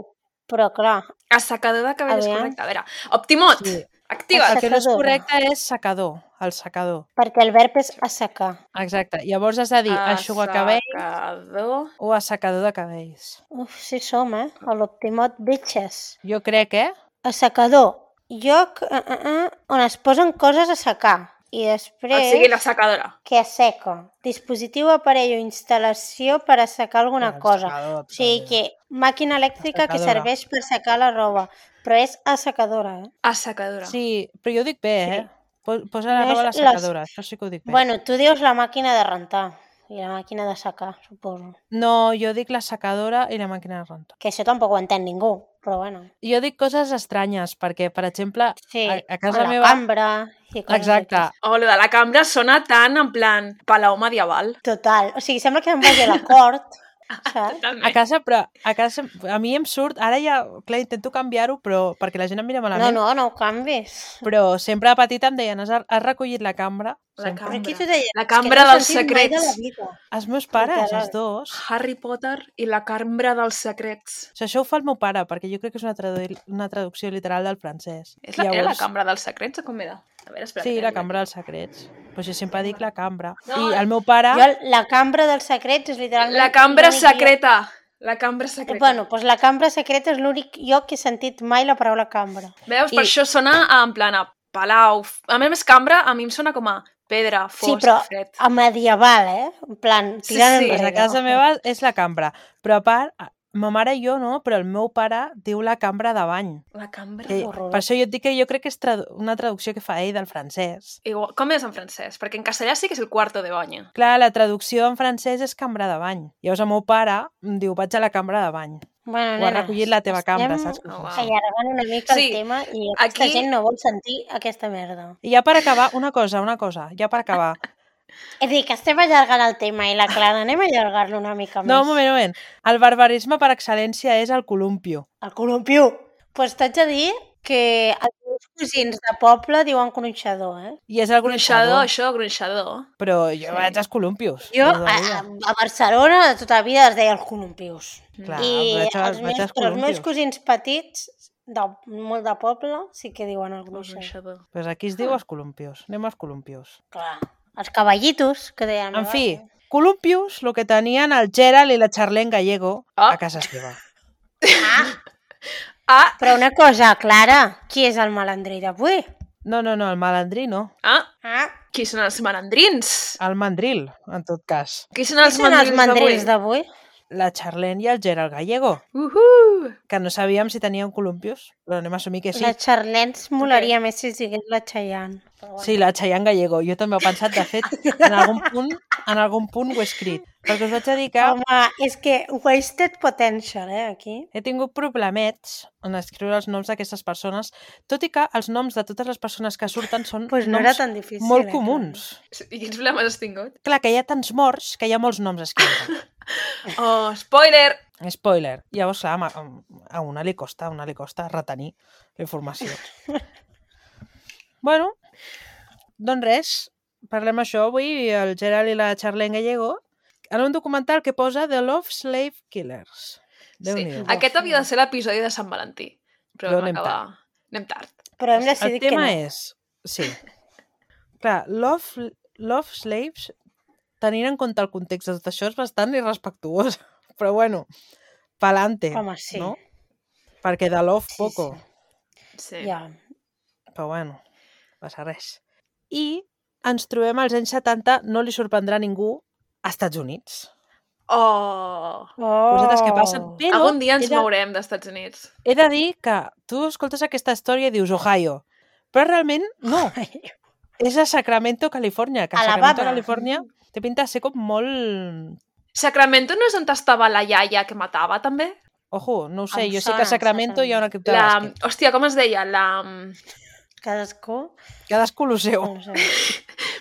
Speaker 2: Però clar,
Speaker 1: Assecador de cabell és
Speaker 2: Aviam.
Speaker 1: correcte. A veure, Optimot,
Speaker 3: Sí.
Speaker 1: activa't.
Speaker 3: El que no és
Speaker 2: Assecadora.
Speaker 3: correcte és secador, el secador.
Speaker 2: perquè el verb és assecar.
Speaker 3: Exacte. Llavors has de dir aixugar cabell
Speaker 1: Assecador.
Speaker 3: o assecador de cabells.
Speaker 2: Uf, sí som, eh? A l'Optimot bitches.
Speaker 3: Jo crec, eh?
Speaker 2: Assecador. Lloc uh, uh, uh, on es posen coses a secar. I
Speaker 1: O
Speaker 2: després,
Speaker 1: sigui, la secadora.
Speaker 2: que asseca. Dispositiu, aparell o instal·lació per assecar alguna
Speaker 3: El
Speaker 2: cosa.
Speaker 3: secador,
Speaker 2: O sigui
Speaker 3: també.
Speaker 2: que màquina elèctrica que
Speaker 3: Assecadora.
Speaker 2: serveix per secar la roba. Però és assecadora, eh?
Speaker 1: Assecadora.
Speaker 3: Sí, però jo dic bé, eh? Po- Posa la
Speaker 2: No
Speaker 3: roba a la
Speaker 2: és les-
Speaker 3: secadora, això sí que ho dic bé.
Speaker 2: Bueno, tu dius la màquina de rentar i la màquina de secar, suposo.
Speaker 3: No, jo dic la secadora i la màquina de renta.
Speaker 2: Que això tampoc ho entén ningú, però bueno.
Speaker 3: Jo dic coses estranyes, perquè, per exemple,
Speaker 2: Sí,
Speaker 3: a, a
Speaker 2: o
Speaker 3: casa
Speaker 2: la
Speaker 3: meva...
Speaker 2: cambra i coses
Speaker 3: Exacte.
Speaker 2: d'aquestes.
Speaker 1: O lo de la cambra sona tan en plan palau medieval.
Speaker 2: Total. O sigui, sembla que se'n vagi a la cort saps?
Speaker 3: A
Speaker 1: Totalment.
Speaker 3: casa, però a casa, a mi em surt, ara ja, clar, intento canviar-ho, però perquè la gent em mira
Speaker 2: No,
Speaker 3: malament,
Speaker 2: no, no ho canvis.
Speaker 3: però sempre de petita em deien, has, has recollit la cambra?
Speaker 1: La
Speaker 3: Sempre.
Speaker 2: Però qui
Speaker 1: cambra.
Speaker 2: t'ho deia?
Speaker 1: La
Speaker 2: És que
Speaker 1: cambra
Speaker 2: no ho he
Speaker 1: dels
Speaker 2: sentit mai de la
Speaker 1: secrets.
Speaker 2: vida.
Speaker 3: Els meus pares,
Speaker 2: Literal.
Speaker 3: els dos.
Speaker 1: Harry Potter i la cambra dels secrets.
Speaker 3: O sigui, això ho fa el meu pare, perquè jo crec que és una, tradu una traducció literal del francès.
Speaker 1: És la, Era la cambra dels secrets o com era? A veure, espera.
Speaker 3: Sí,
Speaker 1: que
Speaker 3: la
Speaker 1: tenim
Speaker 3: cambra
Speaker 1: aquí.
Speaker 3: dels secrets. Però jo sempre dic la cambra.
Speaker 1: No.
Speaker 3: I el meu pare...
Speaker 2: Jo, la cambra dels secrets és literalment...
Speaker 1: La cambra
Speaker 2: l'únic lloc-
Speaker 1: secreta. La cambra secreta.
Speaker 2: Bueno, doncs la cambra secreta és l'únic lloc que he sentit mai la paraula cambra.
Speaker 1: Veus? Per
Speaker 3: I-
Speaker 1: això sona a, en plan a palau. A més, cambra a mi em sona com a pedra, fosc,
Speaker 2: Sí, però
Speaker 1: fred.
Speaker 2: a medieval, eh? En plan,
Speaker 1: Sí,
Speaker 2: tirant
Speaker 1: sí.
Speaker 3: Pues
Speaker 2: enrere.
Speaker 3: a casa meva és la cambra. Però a part, ma mare i jo no, però el meu pare diu la cambra de bany.
Speaker 1: La cambra...
Speaker 3: Que,
Speaker 2: horrorós.
Speaker 3: per això jo et dic que jo crec que és tradu una traducció que fa ell del francès.
Speaker 1: Igual, com és en francès? Perquè en castellà sí que és el cuarto de baño.
Speaker 3: Clar, la traducció en francès és cambra de bany. Llavors el meu pare em diu, vaig a la cambra de bany.
Speaker 2: Bueno,
Speaker 3: Ho ha recollit la teva cambra, saps?
Speaker 1: Oh, wow.
Speaker 2: allargant una mica
Speaker 1: Sí,
Speaker 2: el tema i aquesta
Speaker 1: aquí-
Speaker 2: gent no vol sentir aquesta merda.
Speaker 3: I ja per acabar, una cosa, una cosa, ja per acabar.
Speaker 2: És a dir, que estem allargant el tema i la Clara, anem a allargar-lo una mica més.
Speaker 3: No, un moment, un moment. El barbarisme per excel·lència és el columpio.
Speaker 2: El columpiu. Doncs pues t'haig de dir que els meus cosins de poble diuen gronxador, eh?
Speaker 3: I és el
Speaker 1: Gronxador,
Speaker 3: gronxador.
Speaker 1: això, gronxador.
Speaker 3: Però jo vaig als columpios.
Speaker 2: Jo
Speaker 3: tota la
Speaker 2: a,
Speaker 3: vida.
Speaker 2: a Barcelona de tota la vida es deia els columpius.
Speaker 3: Clar,
Speaker 2: I
Speaker 3: vaig, a,
Speaker 2: els
Speaker 3: vaig
Speaker 2: meus,
Speaker 3: als
Speaker 2: però els meus
Speaker 3: columpios.
Speaker 2: cosins petits, de, molt de poble, sí que diuen el gronxador.
Speaker 1: Gronxador.
Speaker 3: Pues aquí es diu els columpios. Anem als columpios.
Speaker 2: Clar. Els cavallitos, que deien...
Speaker 3: En fi, columpios, el que tenien el Gerald i la Charlene Gallego
Speaker 1: Ah.
Speaker 3: a casa seva.
Speaker 2: Ah,
Speaker 1: Ah,
Speaker 2: però una cosa, Clara, qui és el malandrí d'avui?
Speaker 3: No, no, no, el malandrí no.
Speaker 1: ah,
Speaker 2: Ah,
Speaker 1: qui són els malandrins?
Speaker 3: El mandril, en tot cas.
Speaker 1: Qui són
Speaker 2: qui
Speaker 1: els
Speaker 2: són els
Speaker 1: mandrins
Speaker 2: mandrils
Speaker 1: d'avui?
Speaker 2: d'avui?
Speaker 3: La Charlene i el Gerald Gallego,
Speaker 1: Uhu!
Speaker 3: que no sabíem si tenien columpios, però anem a assumir que sí.
Speaker 2: La Charlens molaria més si es digués la Chayanne. Però bueno.
Speaker 3: Sí, la Chayanne Gallego. Jo també ho he pensat, de fet, en algun punt, en algun punt ho he escrit. Perquè us vaig a dir que
Speaker 2: Home, és que wasted potential, eh, aquí.
Speaker 3: he tingut problemets en escriure els noms d'aquestes persones, tot i que els noms de totes les persones que surten són
Speaker 2: Pues no
Speaker 3: noms
Speaker 2: era tan difícil.
Speaker 3: molt
Speaker 2: eh,
Speaker 3: comuns.
Speaker 1: I quins problemes has tingut?
Speaker 3: Clar, que hi ha tants morts que hi ha molts noms escrits.
Speaker 1: Oh, spoiler!
Speaker 3: Spoiler. Llavors, clar, a una li costa, a una li costa retenir la informació. Bueno, doncs res, parlem això avui, el Gerald i la Charlene Gallego, en un documental que posa The Love Slave Killers.
Speaker 1: Sí.
Speaker 3: Déu-n'hi-do.
Speaker 1: Aquest havia de ser l'episodi de Sant Valentí. Però,
Speaker 3: Però
Speaker 1: vam
Speaker 3: anem
Speaker 1: acabar... Anem tard.
Speaker 2: Però hem
Speaker 3: El
Speaker 2: decidit que
Speaker 3: tema
Speaker 2: no.
Speaker 3: és... Sí. Clar, Love, love Slaves, tenint en compte el context de tot això, és bastant irrespectuós. Però bueno, pa'lante,
Speaker 2: Home, sí.
Speaker 3: no? Perquè de love
Speaker 2: Sí,
Speaker 3: poco.
Speaker 1: Sí.
Speaker 2: Ja.
Speaker 3: Però bueno, passa res. I ens trobem als anys setanta, no li sorprendrà a ningú, als Estats Units.
Speaker 1: Oh!
Speaker 3: Cosetes que passen.
Speaker 2: Oh.
Speaker 3: Però
Speaker 1: Algun dia ens
Speaker 3: he de,
Speaker 1: mourem d'Estats Units.
Speaker 3: he de dir que tu escoltes aquesta història i dius Ohio, però realment no. És a Sacramento, Califòrnia, que
Speaker 2: Alabama.
Speaker 3: Sacramento, Califòrnia, té pinta de ser com molt...
Speaker 1: Sacramento no és on estava la iaia que matava, també?
Speaker 3: Ojo, no ho sé,
Speaker 2: Em
Speaker 3: jo sé que
Speaker 2: sona,
Speaker 3: a Sacramento hi ha un equip de
Speaker 1: La...
Speaker 3: bàsquet.
Speaker 1: Hòstia, com es deia? La...
Speaker 2: Cadascú.
Speaker 3: Cadascú lo seu.
Speaker 2: No ho sé.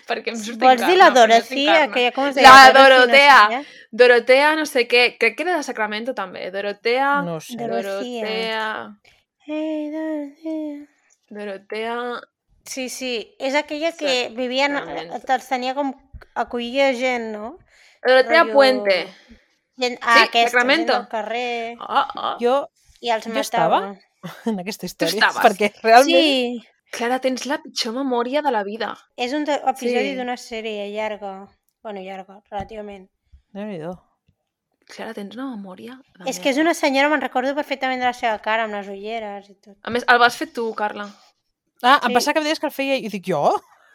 Speaker 1: Perquè em surt
Speaker 2: Vols dir la Dorothy,
Speaker 1: aquella...
Speaker 2: aquella com es deia?
Speaker 1: La
Speaker 2: Dorothy,
Speaker 1: Dorotea.
Speaker 2: No sé què?
Speaker 1: Dorotea, no sé què. Crec que era de Sacramento, també. Dorotea...
Speaker 3: No ho sé.
Speaker 2: Dorotea.
Speaker 1: Dorotea...
Speaker 2: Hey, Dorothea.
Speaker 1: Dorotea...
Speaker 2: Sí, sí, és aquella que vivien,
Speaker 1: Sacramento.
Speaker 2: els tenia com acollia gent, no?
Speaker 1: Dorotea
Speaker 2: Rotllo-
Speaker 1: Puente.
Speaker 2: Gent, ah,
Speaker 1: Sí,
Speaker 2: aquesta,
Speaker 1: Sacramento.
Speaker 2: gent del carrer,
Speaker 1: Oh, oh.
Speaker 3: Jo,
Speaker 2: i els
Speaker 3: Jo
Speaker 2: matava.
Speaker 3: en aquesta història,
Speaker 1: estaves?
Speaker 3: perquè realment...
Speaker 2: Sí,
Speaker 1: Clara, tens la pitjor memòria de la vida.
Speaker 2: és un de- episodi
Speaker 1: Sí.
Speaker 2: d'una sèrie llarga. Bueno, llarga, relativament.
Speaker 3: Déu-n'hi-do.
Speaker 1: Clara, tens una memòria de
Speaker 2: És que és una senyora, me'n recordo perfectament de la seva cara, amb les ulleres i tot.
Speaker 1: A més, el vas fer tu, Carla.
Speaker 3: Ah, em
Speaker 2: Sí.
Speaker 3: pensava que em deies que el feia i dic, jo?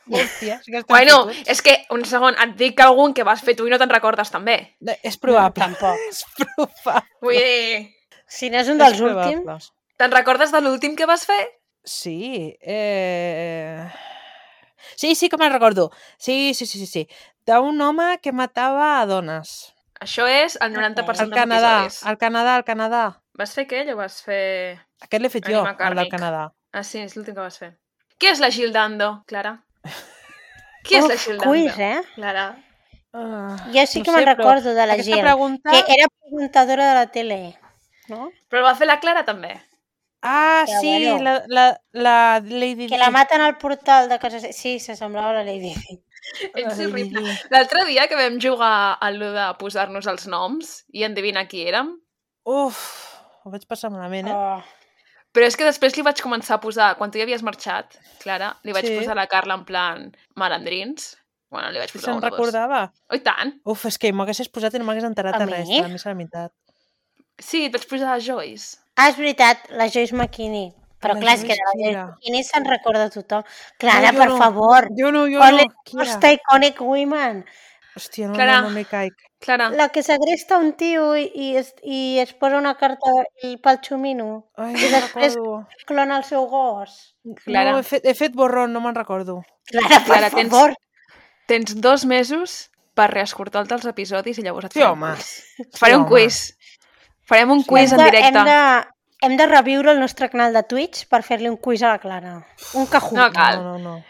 Speaker 3: Hòstia, sí que estem
Speaker 1: Bueno,
Speaker 3: fotuts.
Speaker 1: és que, un segon, et dic algun que vas fer tu i no te'n recordes també.
Speaker 3: No, és probable.
Speaker 2: Tampoc.
Speaker 3: És probable.
Speaker 1: Vull dir,
Speaker 2: Si no és un dels
Speaker 3: És probable.
Speaker 2: últims,
Speaker 1: te'n recordes de l'últim que vas fer?
Speaker 3: Sí, eh... Sí, sí que me'n recordo. Sí, sí, sí, sí, sí. D'un home que matava a dones.
Speaker 1: Això és el noranta per cent
Speaker 3: Al
Speaker 1: dels
Speaker 3: Canadà,
Speaker 1: episodis.
Speaker 3: al Canadà, al Canadà.
Speaker 1: Vas fer aquell o vas fer...
Speaker 3: Aquest l'he fet jo,
Speaker 1: Anima
Speaker 3: el del
Speaker 1: càrnic.
Speaker 3: Canadà.
Speaker 1: Ah, sí, és l'últim que vas fer. Qui és la Gildando, Clara? Qui és la
Speaker 2: uf,
Speaker 1: Gildando?
Speaker 2: quiz, eh?
Speaker 1: Clara.
Speaker 3: Uh,
Speaker 2: Jo sí
Speaker 3: no
Speaker 2: que me'n
Speaker 3: sé, però
Speaker 2: recordo de la
Speaker 3: aquesta
Speaker 2: Jill,
Speaker 3: pregunta...
Speaker 2: que era presentadora de la tele, no?
Speaker 1: Però el va fer la Clara també.
Speaker 3: Ah,
Speaker 2: Però
Speaker 3: sí,
Speaker 2: bueno.
Speaker 3: la, la, la Lady
Speaker 2: Que
Speaker 3: Di.
Speaker 2: la maten al portal de casa... Sí, s'assemblava a la Lady Di.
Speaker 1: Ets
Speaker 3: Lady
Speaker 1: horrible.
Speaker 3: Di.
Speaker 1: L'altre dia que vam jugar a allò de posar-nos els noms i endevinar qui érem,
Speaker 3: Uf, ho vaig passar malament, eh?
Speaker 2: Oh.
Speaker 1: però és que després li vaig començar a posar, quan tu ja havies marxat, Clara, li vaig
Speaker 3: Sí.
Speaker 1: posar a la Carla en plan malandrins. Bueno, li vaig
Speaker 3: Si
Speaker 1: posar
Speaker 3: se'n
Speaker 1: una, dos.
Speaker 3: recordava.
Speaker 1: Oh, i tant!
Speaker 3: Uf, és que m'haguessis posat i no m'hagués enterat
Speaker 2: A
Speaker 3: de
Speaker 2: mi?
Speaker 3: res, de la missa a la meitat.
Speaker 1: Sí, et vaig posar a Joyce.
Speaker 2: Ah, és veritat, la Joyce McKinney. Però
Speaker 3: La
Speaker 2: clar, és que
Speaker 3: Joyce
Speaker 2: de la
Speaker 3: qui
Speaker 2: Joyce
Speaker 3: era?
Speaker 2: McKinney se'n recorda tothom. Clara,
Speaker 3: jo
Speaker 2: per
Speaker 3: no.
Speaker 2: favor.
Speaker 3: Jo no, jo
Speaker 2: Only
Speaker 3: no. Qui era?
Speaker 2: most iconic women.
Speaker 3: Hòstia, no,
Speaker 1: Clara.
Speaker 3: no, no, no hi caic.
Speaker 1: Clara,
Speaker 2: La que segresta un tio i, i, es, i es posa una carta i pel xumino.
Speaker 3: Ai,
Speaker 2: I
Speaker 3: no me'n
Speaker 2: després
Speaker 3: recordo.
Speaker 2: clona el seu gos.
Speaker 1: Clara.
Speaker 3: No, he fet, he fet borrón, no me'n recordo.
Speaker 2: Clara, per
Speaker 1: Clara, tens-
Speaker 2: favor.
Speaker 1: tens dos mesos per reescoltar-te els episodis i llavors et
Speaker 3: Sí,
Speaker 1: faré un
Speaker 3: home.
Speaker 1: quiz. Et faré
Speaker 3: Sí,
Speaker 1: un
Speaker 3: home.
Speaker 1: quiz. Farem un
Speaker 3: Sí.
Speaker 1: quiz
Speaker 2: Hem
Speaker 1: en
Speaker 2: de,
Speaker 1: directe.
Speaker 2: hem, de, hem de reviure el nostre canal de Twitch per fer-li un quiz a la Clara. Un Kahoot.
Speaker 1: No cal.
Speaker 3: No, no, no.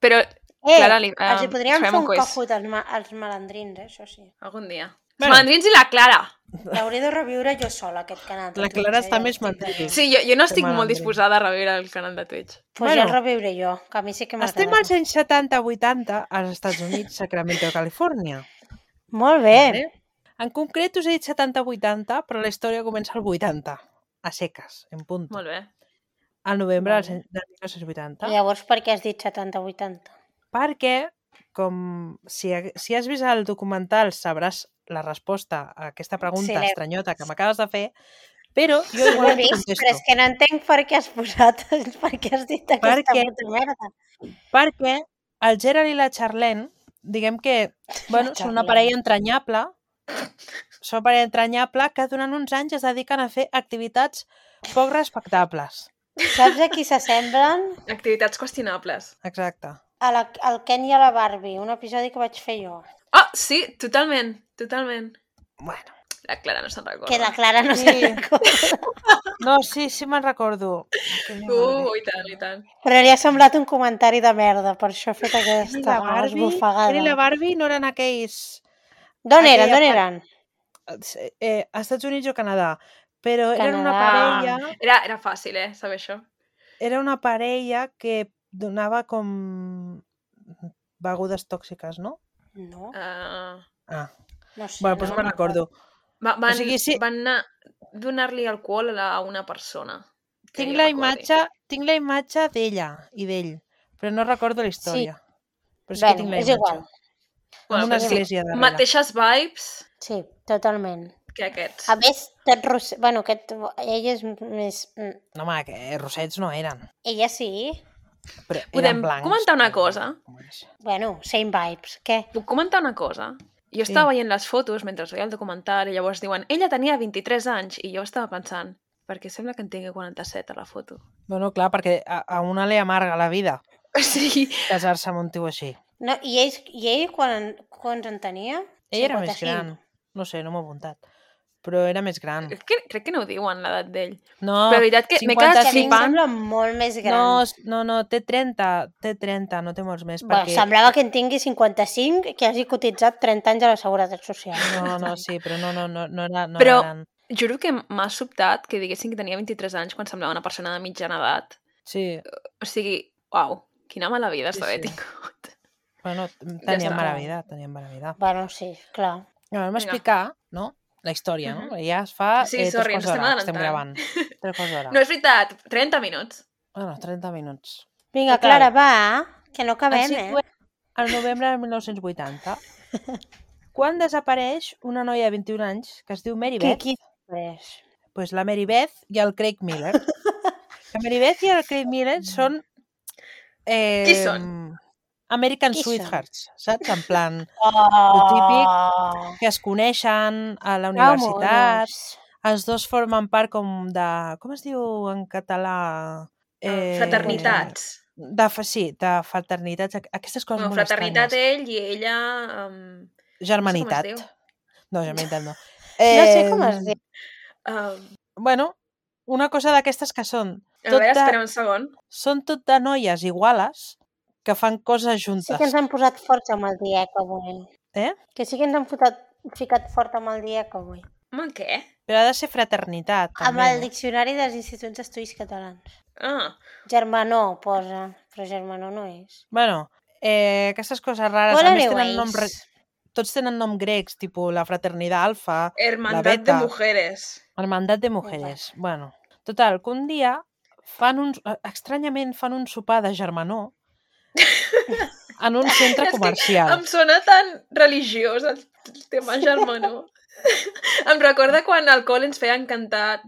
Speaker 1: Però,
Speaker 2: Eh,
Speaker 1: Clara, li,
Speaker 2: els hi
Speaker 1: eh,
Speaker 2: podríem
Speaker 1: farem
Speaker 2: fer
Speaker 1: un
Speaker 2: un
Speaker 1: quiz.
Speaker 2: Kahoot als, ma als malandrins, eh? Això sí.
Speaker 1: Algun dia. Els
Speaker 3: Bueno.
Speaker 1: malandrins i la Clara.
Speaker 2: L'hauré de reviure jo sola, aquest canal. de
Speaker 3: La
Speaker 2: Twitch,
Speaker 3: Clara
Speaker 2: eh,
Speaker 3: està
Speaker 2: ja ho
Speaker 3: més
Speaker 2: estic
Speaker 3: mandril.
Speaker 2: dient.
Speaker 1: Sí, jo, jo no estic molt
Speaker 3: malandrins.
Speaker 1: disposada a reviure el canal de Twitch.
Speaker 2: Pues
Speaker 3: Bueno.
Speaker 2: ja el reviuré jo, que a mi sí que m'agrada.
Speaker 3: Estem als anys setanta vuitanta als Estats Units, Sacramento, Califòrnia.
Speaker 2: Molt bé.
Speaker 3: Vale? En concret us he dit setanta vuitanta, però la història comença al vuitanta, a seques, en punt.
Speaker 1: Molt bé.
Speaker 3: Al novembre
Speaker 2: Molt
Speaker 3: del del mil nou-cents vuitanta.
Speaker 2: I llavors per què has dit setanta vuitanta?
Speaker 3: Perquè, com si, ha- si has vist el documental sabràs la resposta a aquesta pregunta
Speaker 2: Sí, l'he-
Speaker 3: estranyota que m'acabes de fer, però jo
Speaker 2: Ho
Speaker 3: igual
Speaker 2: he
Speaker 3: et
Speaker 2: vist,
Speaker 3: contesto.
Speaker 2: però és que no entenc per què has posat, per què has dit aquesta
Speaker 3: Perquè-
Speaker 2: puta merda.
Speaker 3: Perquè el Gerald i la Charlene, diguem que, bueno, són una
Speaker 2: Charlene.
Speaker 3: parella entranyable, són una parella entranyable que durant uns anys es dediquen a fer activitats poc respectables.
Speaker 2: Saps a qui s'assemblen?
Speaker 1: Activitats qüestionables.
Speaker 3: Exacte.
Speaker 2: A la, al Ken i a la Barbie, un episodi que vaig fer jo.
Speaker 1: Ah, sí, totalment, totalment.
Speaker 3: Bueno.
Speaker 1: La Clara no se'n recorda.
Speaker 2: Que la Clara no
Speaker 3: Sí.
Speaker 2: se'n recorda.
Speaker 3: No, sí, sí me'n recordo. Que
Speaker 1: Uh,
Speaker 3: Barbie.
Speaker 1: i tant, i tant.
Speaker 2: Però li ha semblat un comentari de merda, per això ha fet
Speaker 3: Ken i
Speaker 2: aquesta
Speaker 3: la Barbie,
Speaker 2: esbufegada.
Speaker 3: Ken i la Barbie no eren aquells...
Speaker 2: D'on eren,
Speaker 3: aquella
Speaker 2: d'on
Speaker 3: pa-
Speaker 2: eren?
Speaker 3: Eh, a Estats Units o Canadà, però eren una
Speaker 2: Canadà.
Speaker 3: parella,
Speaker 1: Era, era fàcil, eh, saber això.
Speaker 3: era una parella que donava com begudes tòxiques, no?
Speaker 2: No,
Speaker 1: Uh,
Speaker 3: Ah,
Speaker 2: no sé.
Speaker 3: bueno, doncs
Speaker 2: no
Speaker 3: me'n recordo.
Speaker 1: va, van,
Speaker 3: O sigui, sí.
Speaker 1: van anar donar-li alcohol a a una persona. que
Speaker 3: Tinc
Speaker 1: jo
Speaker 3: la
Speaker 1: recordi.
Speaker 3: imatge, tinc la imatge d'ella i d'ell, però no recordo la història. Però sí que
Speaker 2: Bueno,
Speaker 3: tinc la
Speaker 2: és
Speaker 3: imatge.
Speaker 2: igual.
Speaker 3: Amb
Speaker 1: Bueno,
Speaker 3: una
Speaker 1: però sí,
Speaker 3: església darrere.
Speaker 1: mateixes vibes
Speaker 2: Sí, totalment.
Speaker 1: que aquests.
Speaker 2: A més, tot ros... Bueno, aquest... ella és més... mm,
Speaker 3: No, home, que rossets no eren.
Speaker 2: Ella sí.
Speaker 3: Però eren
Speaker 1: Podem
Speaker 3: blancs.
Speaker 1: comentar una
Speaker 3: però-
Speaker 1: cosa?
Speaker 3: com és?
Speaker 2: Bueno, same vibes. Què?
Speaker 1: Puc comentar una cosa? Jo
Speaker 3: Sí.
Speaker 1: estava veient les fotos mentre veia el documental i llavors diuen ella tenia vint-i-tres anys i jo estava pensant perquè sembla que en tingui quaranta-set a la foto.
Speaker 3: Bueno, clar, perquè a, a una li amarga la vida
Speaker 1: Sí.
Speaker 3: casar-se amb un tio així.
Speaker 2: No, i, ell, I ell quan, quants en tenia?
Speaker 3: Ell era més
Speaker 2: cinquanta-cinc.
Speaker 3: gran. No sé, no m'ho he apuntat. Però era més gran.
Speaker 1: Crec que, crec que no ho diuen l'edat d'ell.
Speaker 3: No,
Speaker 1: Però la veritat que m'he
Speaker 2: Que
Speaker 1: quedat
Speaker 2: a mi em
Speaker 1: flipant.
Speaker 2: sembla molt més gran.
Speaker 3: no, no, no, té trenta, té trenta, no té molts més.
Speaker 2: Bueno,
Speaker 3: perquè...
Speaker 2: semblava que en tingui cinquanta-cinc, que hagi cotitzat trenta anys a la Seguretat Social.
Speaker 3: No, no, sí, però no, no, no, no era, no
Speaker 1: Però-
Speaker 3: era gran.
Speaker 1: Juro que m'ha sobtat que diguessin que tenia vint-i-tres anys quan semblava una persona de mitjana edat.
Speaker 3: Sí,
Speaker 1: O sigui, uau, quina mala vida
Speaker 3: Sí,
Speaker 1: sí, d'haver
Speaker 3: sí.
Speaker 1: tingut.
Speaker 3: bueno, tenien
Speaker 1: està.
Speaker 3: mala vida, tenien mala vida.
Speaker 2: Bueno, sí, clar.
Speaker 3: Ja, vam
Speaker 1: Vinga.
Speaker 3: explicar, no?, la història, no?
Speaker 1: Mhm.
Speaker 3: Ja es fa
Speaker 1: Sí,
Speaker 3: eh,
Speaker 1: sorry,
Speaker 3: tres
Speaker 1: ens
Speaker 3: quarts
Speaker 1: estem
Speaker 3: d'hora que estem
Speaker 1: adelantant.
Speaker 3: gravant. Tres quarts d'hora.
Speaker 1: No és veritat, trenta minuts.
Speaker 3: Bueno, trenta minuts.
Speaker 2: Vinga,
Speaker 3: Total.
Speaker 2: Clara, va, que no
Speaker 3: Ens
Speaker 2: acabem, eh?
Speaker 3: situem al novembre del mil nou-cents vuitanta, quan desapareix una noia de vint-i-un anys que es diu Mary
Speaker 2: Qui,
Speaker 3: Beth.
Speaker 2: qui després?
Speaker 3: Pues la Mary Beth i el Craig Miller. La Mary Beth i el Craig Miller són... Eh,
Speaker 1: Qui són?
Speaker 3: American
Speaker 2: Qui són?
Speaker 3: Sweethearts, saps? En plan,
Speaker 2: Oh,
Speaker 3: que es coneixen a la
Speaker 2: que
Speaker 3: universitat,
Speaker 2: monos.
Speaker 3: els dos formen part com de... Com es diu en català?
Speaker 1: Eh, fraternitats.
Speaker 3: De, fa- sí, de fraternitats. Aqu- Aquestes coses
Speaker 1: Bueno,
Speaker 3: molt
Speaker 1: fraternitat
Speaker 3: estranyes.
Speaker 1: ell i ella... Um,
Speaker 3: Germanitat.
Speaker 1: no sé com es diu.
Speaker 3: No, germanitat no.
Speaker 2: No sé com es
Speaker 3: Em,
Speaker 2: diu.
Speaker 1: um,
Speaker 3: Bueno, una cosa d'aquestes que són
Speaker 1: a
Speaker 3: tot
Speaker 1: veure,
Speaker 3: de,
Speaker 1: espera un segon.
Speaker 3: són tot de noies iguales que fan coses
Speaker 2: Sí
Speaker 3: juntes.
Speaker 2: que ens han posat forts amb el diec avui.
Speaker 3: Eh?
Speaker 2: Que sí que ens han fotat, ficat fort amb el dia que avui.
Speaker 1: Home, què?
Speaker 3: Però ha de ser fraternitat,
Speaker 2: Amb
Speaker 3: també,
Speaker 2: el
Speaker 3: no?
Speaker 2: Diccionari dels Instituts d'Estudis Catalans.
Speaker 1: Ah,
Speaker 2: Germanó posa, però germanó no és.
Speaker 3: Bueno, eh, aquestes coses rares,
Speaker 2: Well,
Speaker 3: a més tenen nom...
Speaker 2: anyways.
Speaker 3: Re... Tots tenen nom grecs, tipus la fraternitat alfa, la
Speaker 1: Hermandad de
Speaker 3: beta,
Speaker 1: Mujeres.
Speaker 3: hermandat de mujeres. Bueno, total, que un dia fan un... estranyament fan un sopar de germanor en un centre
Speaker 1: És que
Speaker 3: comercial.
Speaker 1: em sona tan religiós el tema germanor. Em recorda quan al col ens feien cantar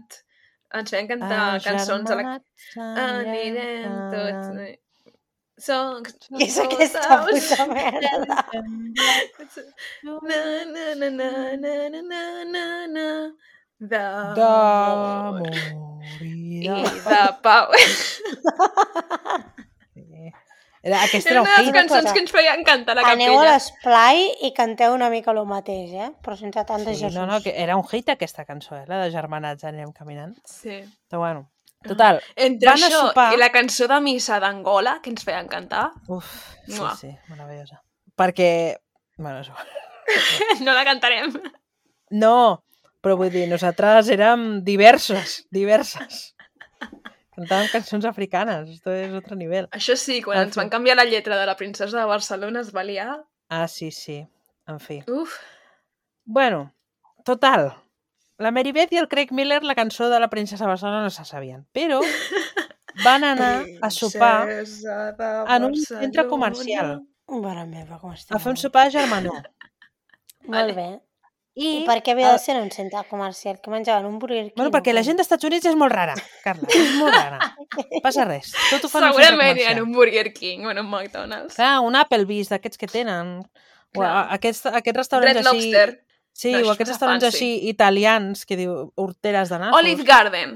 Speaker 1: ens feien cantar cançons a la... Anirem tots... Som...
Speaker 2: Què és aquesta puta merda?
Speaker 1: Na, na, na, na, na, na, na, na, na.
Speaker 3: D'amor
Speaker 1: I
Speaker 3: i de
Speaker 1: de pau.
Speaker 3: Era, aquesta
Speaker 1: Era
Speaker 3: era un
Speaker 1: una de les
Speaker 3: hit.
Speaker 1: cançons
Speaker 2: cosa.
Speaker 1: que ens feien cantar a la
Speaker 2: Aneu a
Speaker 1: capella.
Speaker 2: l'esplai i canteu una mica el mateix, eh? Però sense tant de
Speaker 3: Sí,
Speaker 2: Jesús.
Speaker 3: no, no, que era un hit aquesta cançó, eh? La de Germanats Anem Caminant.
Speaker 1: Sí.
Speaker 3: Però bueno, total,
Speaker 1: Entre
Speaker 3: van a
Speaker 1: això
Speaker 3: sopar...
Speaker 1: i la cançó de missa d'Angola que ens feien cantar,
Speaker 3: Uf, sí,
Speaker 1: Mua.
Speaker 3: sí, meravellosa. Perquè... Bueno, és igual.
Speaker 1: no la cantarem.
Speaker 3: No, però vull dir, nosaltres érem diversos, diverses. Cantàvem cançons africanes, esto és otro nivel.
Speaker 1: Això sí, quan
Speaker 3: En
Speaker 1: ens
Speaker 3: fi.
Speaker 1: van canviar la lletra de la princesa de Barcelona es va liar.
Speaker 3: Ah, sí, sí, en fi.
Speaker 1: Uf,
Speaker 3: Bueno, total, la Mary Beth i el Craig Miller la cançó de la princesa de Barcelona no se sabien, però van anar a sopar
Speaker 1: princesa de
Speaker 3: en un centre
Speaker 1: Barcelona.
Speaker 3: comercial,
Speaker 2: Mare meva, com estic.
Speaker 3: a fer un sopar germanor.
Speaker 2: Molt bé. I,
Speaker 3: I,
Speaker 2: per què havia de
Speaker 3: el-
Speaker 2: ser en un centre comercial? Que menjaven un Burger King?
Speaker 3: Bueno, perquè la gent dels Estats Units és molt rara, Carla, és molt rara. Passa res, tot ho fan en un centre
Speaker 1: Segurament hi ha
Speaker 3: comercial.
Speaker 1: un Burger King o en un McDonald's.
Speaker 3: Clar, un Applebee's d'aquests que tenen, o
Speaker 1: Clar.
Speaker 3: a- aquests, aquests restaurants
Speaker 1: Red
Speaker 3: així...
Speaker 1: Lobster.
Speaker 3: Sí,
Speaker 1: No,
Speaker 3: o
Speaker 1: això
Speaker 3: aquests
Speaker 1: és
Speaker 3: restaurants
Speaker 1: fancy.
Speaker 3: així italians que diu horteres de nassos.
Speaker 1: Olive Garden.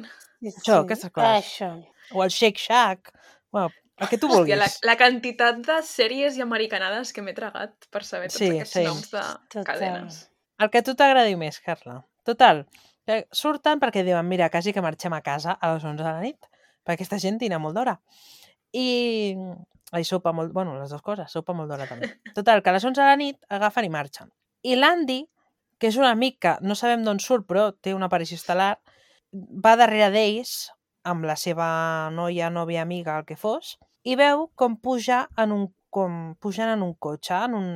Speaker 3: Això, aquestes coses.
Speaker 2: Això.
Speaker 3: O el Shake Shack. Bueno, el que tu
Speaker 1: Hòstia, la,
Speaker 3: vulguis.
Speaker 1: la quantitat de sèries i americanades que m'he tragat per saber tots
Speaker 3: Sí,
Speaker 1: aquests
Speaker 3: sí.
Speaker 1: noms de
Speaker 2: Total.
Speaker 1: cadenes.
Speaker 3: El que a tu t'agradi més, Carla. Total, que surten perquè diuen, mira, quasi que marxem a casa a les onze de la nit, perquè aquesta gent dina molt d'hora. I... Ai, sopa molt... Bueno, les dues coses, sopa molt d'hora també. Total, que a les onze de la nit agafen i marxen. I l'Andy, que és un amic que no sabem d'on surt, però té una aparició estel·lar, va darrere d'ells, amb la seva noia, nòvia, amiga, el que fos, i veu com puja en un, com pugen en un cotxe, en un,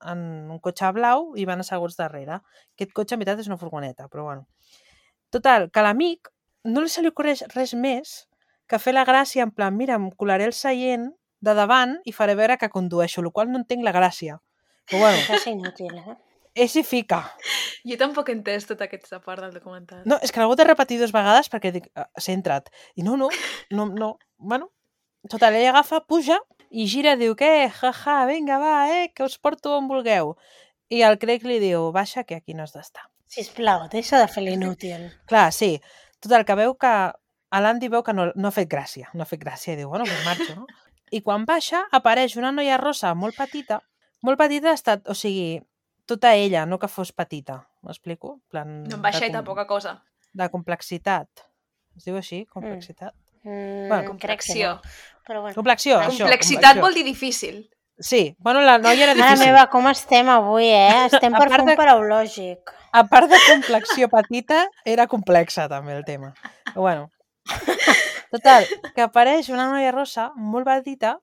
Speaker 3: en un cotxe blau i van asseguts darrere. Aquest cotxe, en veritat, és una furgoneta, però bueno. Total, que a l'amic no li se li ocorreix res més que fer la gràcia en plan, mira, em colaré el seient de davant i faré veure que condueixo, el qual no entenc la gràcia. Però bueno,
Speaker 2: Això és inútil, eh?
Speaker 3: és i fica.
Speaker 1: Jo tampoc he entès tota aquesta part del documental.
Speaker 3: No, és que l'he hagut de repetir dues vegades perquè dic, "Ah, s'ha entrat. I no, no, no, no. Bueno, total, ella agafa, puja i gira i diu, què, jaja, vinga, va, eh, que us porto on vulgueu. I el Craig li diu, baixa, que aquí no has d'estar.
Speaker 2: Sisplau, deixa de fer l'inútil.
Speaker 3: Clar, sí. Total, que veu que a l'Andy veu que no, no ha fet gràcia, no ha fet gràcia, i diu, bueno, pues marxo, no? I quan baixa, apareix una noia rosa molt petita, molt petita ha estat, o sigui, tota ella, no que fos petita, m'explico? En plan,
Speaker 1: No em baixa
Speaker 3: de
Speaker 1: i
Speaker 3: com-
Speaker 1: poca cosa.
Speaker 3: de complexitat. Es diu així, complexitat?
Speaker 2: Mm,
Speaker 3: Bueno,
Speaker 1: Complexió.
Speaker 2: crec que no. Però bueno.
Speaker 3: Complexió,
Speaker 1: La
Speaker 3: això.
Speaker 1: complexitat
Speaker 3: complexió.
Speaker 1: vol dir difícil.
Speaker 3: Sí, bueno, la noia era
Speaker 2: Mare
Speaker 3: difícil.
Speaker 2: meva, com estem avui, eh? Estem
Speaker 3: A
Speaker 2: per
Speaker 3: part
Speaker 2: fer
Speaker 3: de-
Speaker 2: un paraulògic.
Speaker 3: A part de complexió petita, era complexa també el tema. Però bueno. Total, que apareix una noia rosa molt petita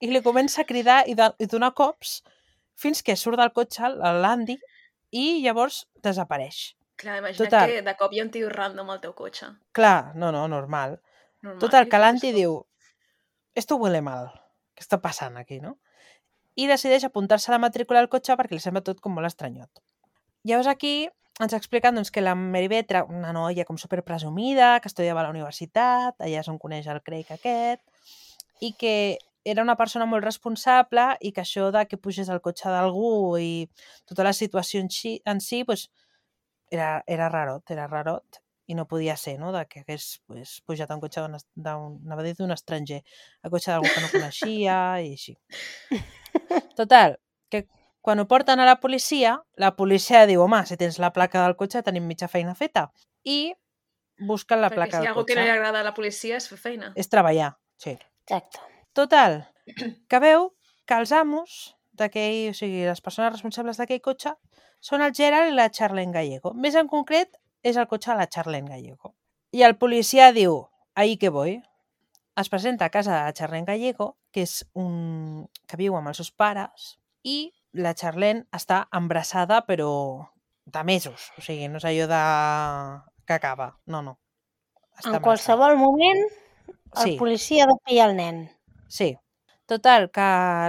Speaker 3: i li comença a cridar i, de, i donar cops fins que surt del cotxe l'Andy i llavors desapareix.
Speaker 1: Clar, imagina't
Speaker 3: Total.
Speaker 1: que de cop hi ha un tio random al teu cotxe.
Speaker 3: Clar, no, no, normal.
Speaker 1: Normal,
Speaker 3: Total,
Speaker 1: li
Speaker 3: que
Speaker 1: fotes
Speaker 3: l'Andy
Speaker 1: com-
Speaker 3: diu, esto huele mal, què està passant aquí, no? I decideix apuntar-se a la matrícula del cotxe perquè li sembla tot com molt estranyot. Llavors aquí ens expliquen doncs, que la Mary Beth era una noia com superpresumida, que estudiava a la universitat, allà és on coneix el Craig aquest, i que era una persona molt responsable i que això de que pugés al cotxe d'algú i tota la situació en si, en si pues, era, era rarot, era rarot i no podia ser, no?, de que hagués pues, pujat a un cotxe d'un, d'un, anava a dir d'un estranger, a cotxe d'algú que no coneixia i així. Total, que quan ho porten a la policia, la policia diu, home, si tens la placa del cotxe tenim mitja feina feta. I busquen la
Speaker 1: Perquè
Speaker 3: placa
Speaker 1: si hi ha
Speaker 3: del
Speaker 1: algú que
Speaker 3: cotxe.
Speaker 1: no li agrada a la policia és fer feina.
Speaker 3: És treballar, sí.
Speaker 2: Exacte.
Speaker 3: Total, que veu que els amos d'aquell, o sigui, les persones responsables d'aquell cotxe són el Gerald i la Charlene Gallego. Més en concret, és el cotxe de la Charlene Gallego. I el policia diu, ahí que voy. Es presenta a casa de la Charlene Gallego, que és un... que viu amb els seus pares, i la Charlene està embarassada, però de mesos. O sigui, no és allò de... que acaba. No, no. Està
Speaker 2: En qualsevol moment, el
Speaker 3: Sí.
Speaker 2: policia ha de pillar el nen.
Speaker 3: Sí. Total, que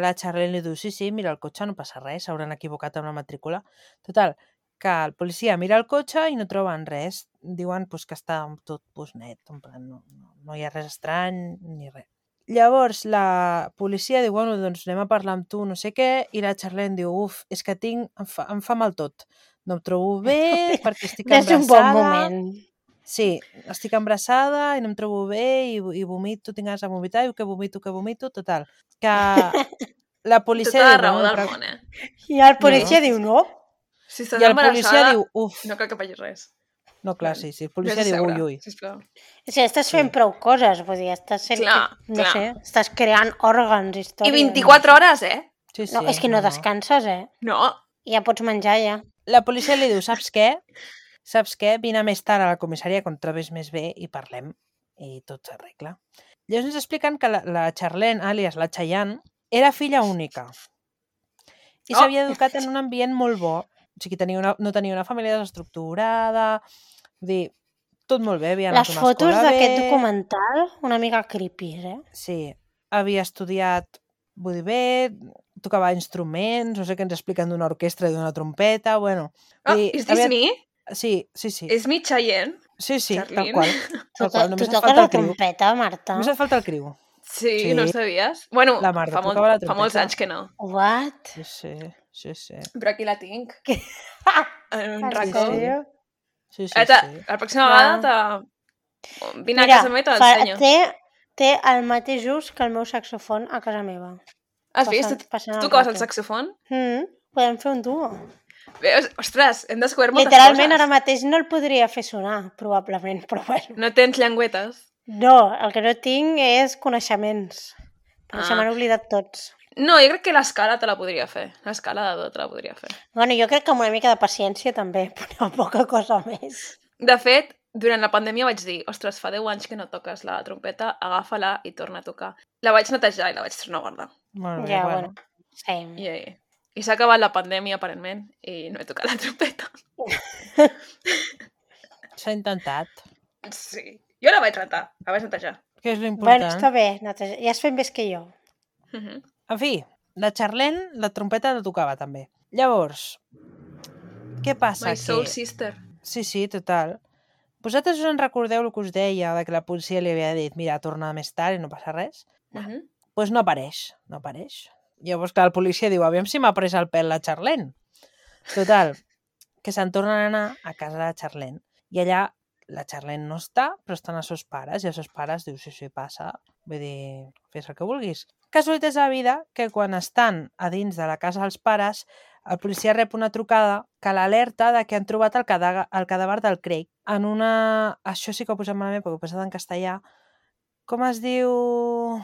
Speaker 3: la Charlene li diu, sí, sí, mira el cotxe, no passa res, s'hauran equivocat amb la matrícula. Total, que el policia mira el cotxe i no troben res. Diuen pues, que està tot pues, net, en plan, no, no, no hi ha res estrany ni res. Llavors la policia diu, bueno, doncs anem a parlar amb tu, no sé què, i la Charlene diu, uf, és que tinc, em fa, em fa mal tot. No em trobo bé, perquè estic
Speaker 2: És
Speaker 3: embarassada.
Speaker 2: un bon moment.
Speaker 3: Sí, estic embarassada i no em trobo bé i, i vomito, tinc ganes de vomitar, i que vomito, que vomito, total. Que la policia
Speaker 1: Tota la
Speaker 3: diu,
Speaker 1: raó
Speaker 3: bueno,
Speaker 1: del
Speaker 3: però...
Speaker 1: món, eh?
Speaker 2: I el policia
Speaker 3: No.
Speaker 2: diu, no?
Speaker 1: Si estàs
Speaker 3: I el policia
Speaker 1: embarassada,
Speaker 3: diu, uf,
Speaker 1: no cal que facis res.
Speaker 3: no, clar,
Speaker 1: Val.
Speaker 3: sí, sí, el
Speaker 1: Vés
Speaker 3: policia
Speaker 1: a
Speaker 3: diu,
Speaker 1: seure,
Speaker 3: ui, ui.
Speaker 1: sisplau.
Speaker 2: O sigui, estàs fent
Speaker 3: Sí.
Speaker 2: prou coses, vull dir, estàs sent...
Speaker 1: Clar,
Speaker 2: no
Speaker 1: clar.
Speaker 2: sé, estàs creant òrgans,
Speaker 1: I
Speaker 2: històries.
Speaker 1: vint-i-quatre hores, eh?
Speaker 3: Sí, sí,
Speaker 2: No, és que no, descanses, eh?
Speaker 1: No.
Speaker 2: Ja pots menjar, ja.
Speaker 3: La policia li diu, saps què? Saps què? Vine més tard a la comissaria quan et trobis més bé i parlem i tot s'arregla. Llavors ens expliquen que la, la Charlene, àlies la Cheyenne, era filla única i
Speaker 1: Oh!
Speaker 3: s'havia educat en un ambient molt bo. O sigui, tenia una, no tenia una família desestructurada, vull dir, tot molt bé, havia anat
Speaker 2: Les
Speaker 3: a una
Speaker 2: fotos
Speaker 3: escola
Speaker 2: d'aquest
Speaker 3: bé.
Speaker 2: documental, una mica creepy, eh?
Speaker 3: Sí, havia estudiat, vull dir, bé, tocava instruments, no sé què ens expliquen d'una orquestra i d'una trompeta, bueno.
Speaker 1: Oh,
Speaker 3: vull dir,
Speaker 1: is this
Speaker 3: havia-
Speaker 1: me?
Speaker 3: Sí, sí, sí.
Speaker 1: És mi Cheyenne?
Speaker 3: Sí, sí, tal
Speaker 1: Charlene?
Speaker 3: qual.
Speaker 2: Tu,
Speaker 3: Tal qual,
Speaker 2: tu
Speaker 3: només et
Speaker 2: toques
Speaker 3: falta
Speaker 2: la
Speaker 3: el criu.
Speaker 2: trompeta, Marta?
Speaker 3: Només et falta el criu.
Speaker 1: Sí,
Speaker 3: Sí.
Speaker 1: no ho sabies? Bueno,
Speaker 3: La Marta
Speaker 1: fa, molt,
Speaker 3: tocava la
Speaker 1: fa molts
Speaker 3: trompeta.
Speaker 1: anys que no.
Speaker 2: What?
Speaker 3: Sí, sí, sí, sí.
Speaker 1: Però aquí la tinc.
Speaker 2: Què?
Speaker 1: En un
Speaker 2: En
Speaker 1: racó.
Speaker 2: sèrio?
Speaker 3: Sí, sí,
Speaker 1: Eta,
Speaker 3: sí.
Speaker 1: la pròxima
Speaker 2: Va.
Speaker 1: vegada te... vine a
Speaker 2: Mira,
Speaker 1: casa meva i te
Speaker 2: fa-
Speaker 1: l'ensenyo.
Speaker 2: té, té el mateix ús que el meu saxofon a casa meva.
Speaker 1: Has vist?
Speaker 2: passant- passant
Speaker 1: Tu
Speaker 2: el
Speaker 1: toques el
Speaker 2: rato.
Speaker 1: saxofon?
Speaker 2: Mm, podem fer un duo.
Speaker 1: Veus? Ostres, hem descobert moltes
Speaker 2: Literalment,
Speaker 1: coses.
Speaker 2: ara mateix no el podria fer sonar, probablement, però bueno.
Speaker 1: No tens llengüetes?
Speaker 2: No, el que no tinc és coneixements. Però
Speaker 1: Ah.
Speaker 2: se m'han oblidat tots.
Speaker 1: No, jo crec que l'escala te la podria fer. L'escala de do te la podria fer.
Speaker 2: Bueno, jo crec que amb una mica de paciència també, però poca cosa més.
Speaker 1: De fet, durant la pandèmia vaig dir, ostres, fa deu anys que no toques la trompeta, agafa-la i torna a tocar. La vaig netejar i la vaig tornar a guardar.
Speaker 3: Molt bé,
Speaker 2: Ja,
Speaker 3: bueno.
Speaker 2: bueno. Sí.
Speaker 1: I, i s'ha acabat la pandèmia, aparentment, i no he tocat la trompeta.
Speaker 3: S'ha intentat.
Speaker 1: Sí. Jo la vaig rentar, la vaig netejar.
Speaker 3: Que és
Speaker 2: Bueno,
Speaker 3: l'important.
Speaker 2: està bé, neteja. Ja has fet més que jo.
Speaker 1: Uh -huh.
Speaker 3: En fi, la Charlene, la trompeta la tocava també. Llavors, què passa?
Speaker 1: My soul
Speaker 3: que...
Speaker 1: sister.
Speaker 3: Sí, sí, total. Vosaltres us en recordeu el que us deia de que la policia li havia dit mira, torna més tard i no passa res?
Speaker 1: Uh -huh.
Speaker 3: Doncs pues no apareix, no apareix. Llavors, clar, el policia diu, aviam si m'ha pres el pèl la Charlene. Total, que se'n tornen a anar a casa de la Charlene. I allà la Charlene no està, però estan els seus pares, i els seus pares diu, sí, sí, passa, vull dir, fes el que vulguis. Casualitat de la vida que quan estan a dins de la casa dels pares, el policia rep una trucada que l'alerta de que han trobat el, cadà el cadàver del Craig en una... Això sí que ho posem malament perquè ho he posat en castellà. Com es diu...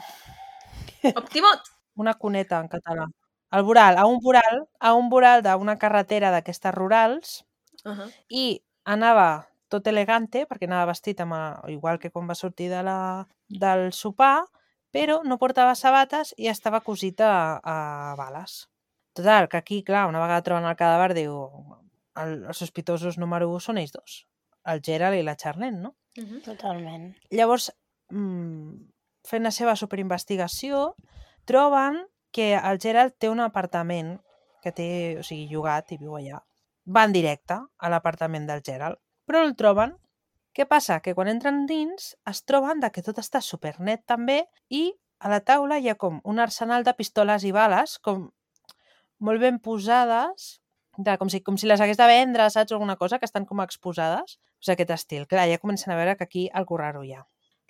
Speaker 1: Optimot!
Speaker 3: Una cuneta en català. El voral, a un voral, a un voral d'una carretera d'aquestes rurals
Speaker 1: Uh -huh.
Speaker 3: i anava tot elegante, perquè anava vestit amb el, igual que quan va sortir de la, del sopar, però no portava sabates i estava cosit a, a bales. Total, que aquí, clar, una vegada troben el cadàver, diu, el, els sospitosos número un són ells dos, el Gerald i la Charlene, no?
Speaker 1: Uh -huh.
Speaker 2: Totalment.
Speaker 3: Llavors, mmm, fent la seva superinvestigació, troben que el Gerald té un apartament que té, o sigui, llogat i viu allà. Van directe a l'apartament del Gerald, però no el troben. Què passa? Que quan entren dins es troben de que tot està supernet també i a la taula hi ha com un arsenal de pistoles i bales com molt ben posades, de, com, si, com si les hagués de vendre, saps? Alguna cosa, que estan com exposades. O sigui, aquest estil. Clar, ja comencen a veure que aquí algú raro hi ha.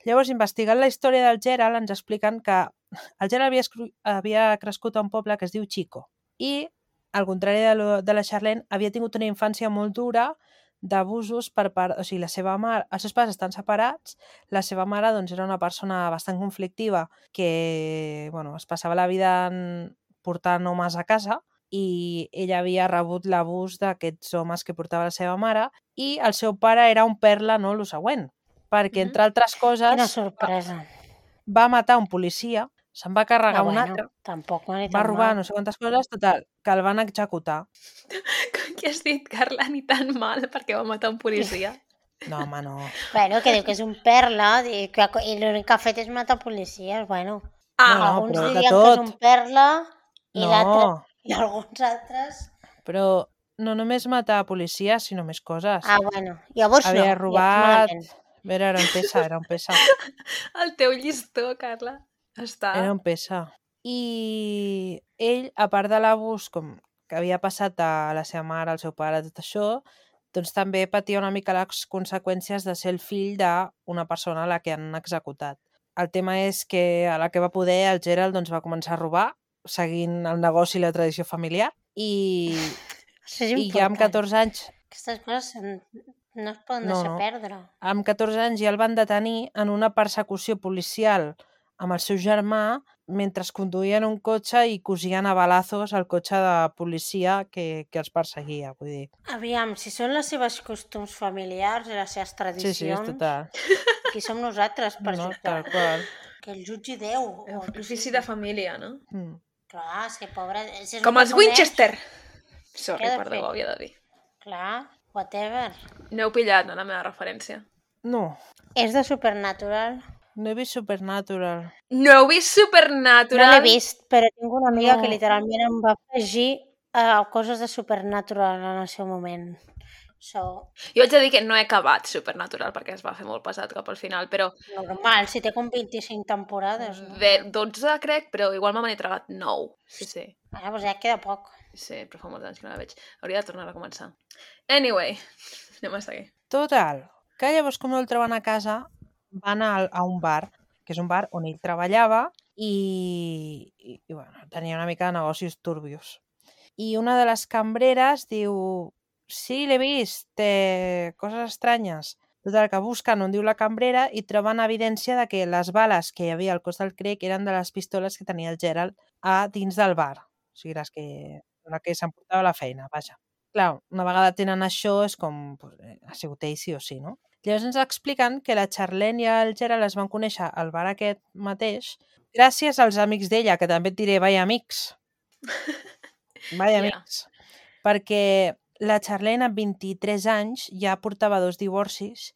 Speaker 3: Llavors, investigant la història del Gerald, ens expliquen que el Gerald havia, havia crescut a un poble que es diu Chico i, al contrari de, lo, de la Charlene, havia tingut una infància molt dura d'abusos per part... O sigui, la seva mare... Els seus pares estan separats, la seva mare doncs, era una persona bastant conflictiva que, bueno, es passava la vida en portant homes a casa i ella havia rebut l'abús d'aquests homes que portava la seva mare i el seu pare era un perla, no el següent, perquè, entre altres coses,
Speaker 2: Quina sorpresa.
Speaker 3: va matar un policia, se'n va carregar
Speaker 2: Ah,
Speaker 3: un
Speaker 2: bueno,
Speaker 3: altre,
Speaker 2: tampoc no
Speaker 3: va robar no sé quantes coses, total, que el van executar.
Speaker 1: Què has dit, Carla? Ni tan mal perquè va matar un policia.
Speaker 3: No, home, no.
Speaker 2: Bueno, que diu que és un perla i, que, i l'únic que ha fet és matar policies, bueno.
Speaker 1: Ah,
Speaker 3: No, no,
Speaker 2: alguns
Speaker 3: però de
Speaker 2: dirien que és
Speaker 3: tot.
Speaker 2: un perla i
Speaker 3: No.
Speaker 2: l'altre i alguns altres...
Speaker 3: Però no només matar policies, sinó més coses.
Speaker 2: Ah, bueno, llavors no.
Speaker 3: Havia
Speaker 2: llavors
Speaker 3: robat...
Speaker 2: malament.
Speaker 3: Era, era un pesa, era un pesa.
Speaker 1: El teu llistó, Carla, està...
Speaker 3: Era un pesa. I ell, a part de l'abús com que havia passat a la seva mare, al seu pare, tot això, doncs també patia una mica les conseqüències de ser el fill d'una persona a la que han executat. El tema és que a la que va poder el Gerald doncs, va començar a robar, seguint el negoci i la tradició familiar, i,
Speaker 2: Això és
Speaker 3: i ja amb
Speaker 2: important.
Speaker 3: catorze anys
Speaker 2: Aquestes coses són- no es poden
Speaker 3: No,
Speaker 2: deixar
Speaker 3: no.
Speaker 2: perdre.
Speaker 3: amb catorze anys ja el van detenir en una persecució policial amb el seu germà mentre conduïen un cotxe i cosien a balazos el cotxe de policia que, que els perseguia. Vull dir.
Speaker 2: Aviam, si són les seves costums familiars i les seves
Speaker 3: Sí,
Speaker 2: tradicions,
Speaker 3: sí, és total.
Speaker 2: qui som nosaltres per
Speaker 3: No,
Speaker 2: jutjar?
Speaker 3: tal qual.
Speaker 2: Que el jutgi Déu.
Speaker 1: El
Speaker 2: o qui
Speaker 1: ofici
Speaker 2: sigui.
Speaker 1: de família, no?
Speaker 3: Mm.
Speaker 2: Clar, és que pobre... Si és un
Speaker 1: Com
Speaker 2: que
Speaker 1: els
Speaker 2: coneix,
Speaker 1: Winchester! Sorry,
Speaker 2: Què ha de
Speaker 1: perdó,
Speaker 2: fer?
Speaker 1: ho havia de dir.
Speaker 2: Clar, whatever.
Speaker 1: No heu pillat, no, la meva referència.
Speaker 3: No,
Speaker 2: És de Supernatural.
Speaker 3: no he vist Supernatural.
Speaker 1: No heu vist
Speaker 2: No
Speaker 1: Supernatural?
Speaker 2: l'he vist, però tinc una amiga
Speaker 3: No.
Speaker 2: que literalment em va afegir uh, coses de Supernatural en el seu moment. So,
Speaker 1: Jo haig de dir que no he acabat Supernatural perquè es va fer molt pesat cap al final, però
Speaker 2: normal, si té com vint-i-cinc temporades, no?
Speaker 1: de dotze crec, però igual me n'he tragat nou. Sí, sí.
Speaker 2: Ara, doncs ja queda poc.
Speaker 1: Sí, però fa molts anys que no la veig. Hauria de tornar a començar. Anyway, anem a seguir.
Speaker 3: Total, que llavors com no el troben a casa, van a, a un bar, que és un bar on ell treballava i, i, i bueno, tenia una mica de negocis turbios. I una de les cambreres diu, sí, l'he vist, té coses estranyes. Total, que busquen on diu la cambrera i troben evidència de que les bales que hi havia al cos del Craig eren de les pistoles que tenia el Gerald a dins del bar. O sigui, les que, la que s'emportava a la feina, vaja. Clar, una vegada tenen això és com, pues, ha sigut ell sí o sí, no? Llavors ens expliquen que la Charlene i el Gerald es van conèixer al bar aquest mateix gràcies als amics d'ella, que també et diré, vaia amics. Vaia
Speaker 1: Ja.
Speaker 3: amics. Perquè la Charlene amb vint-i-tres anys ja portava dos divorcis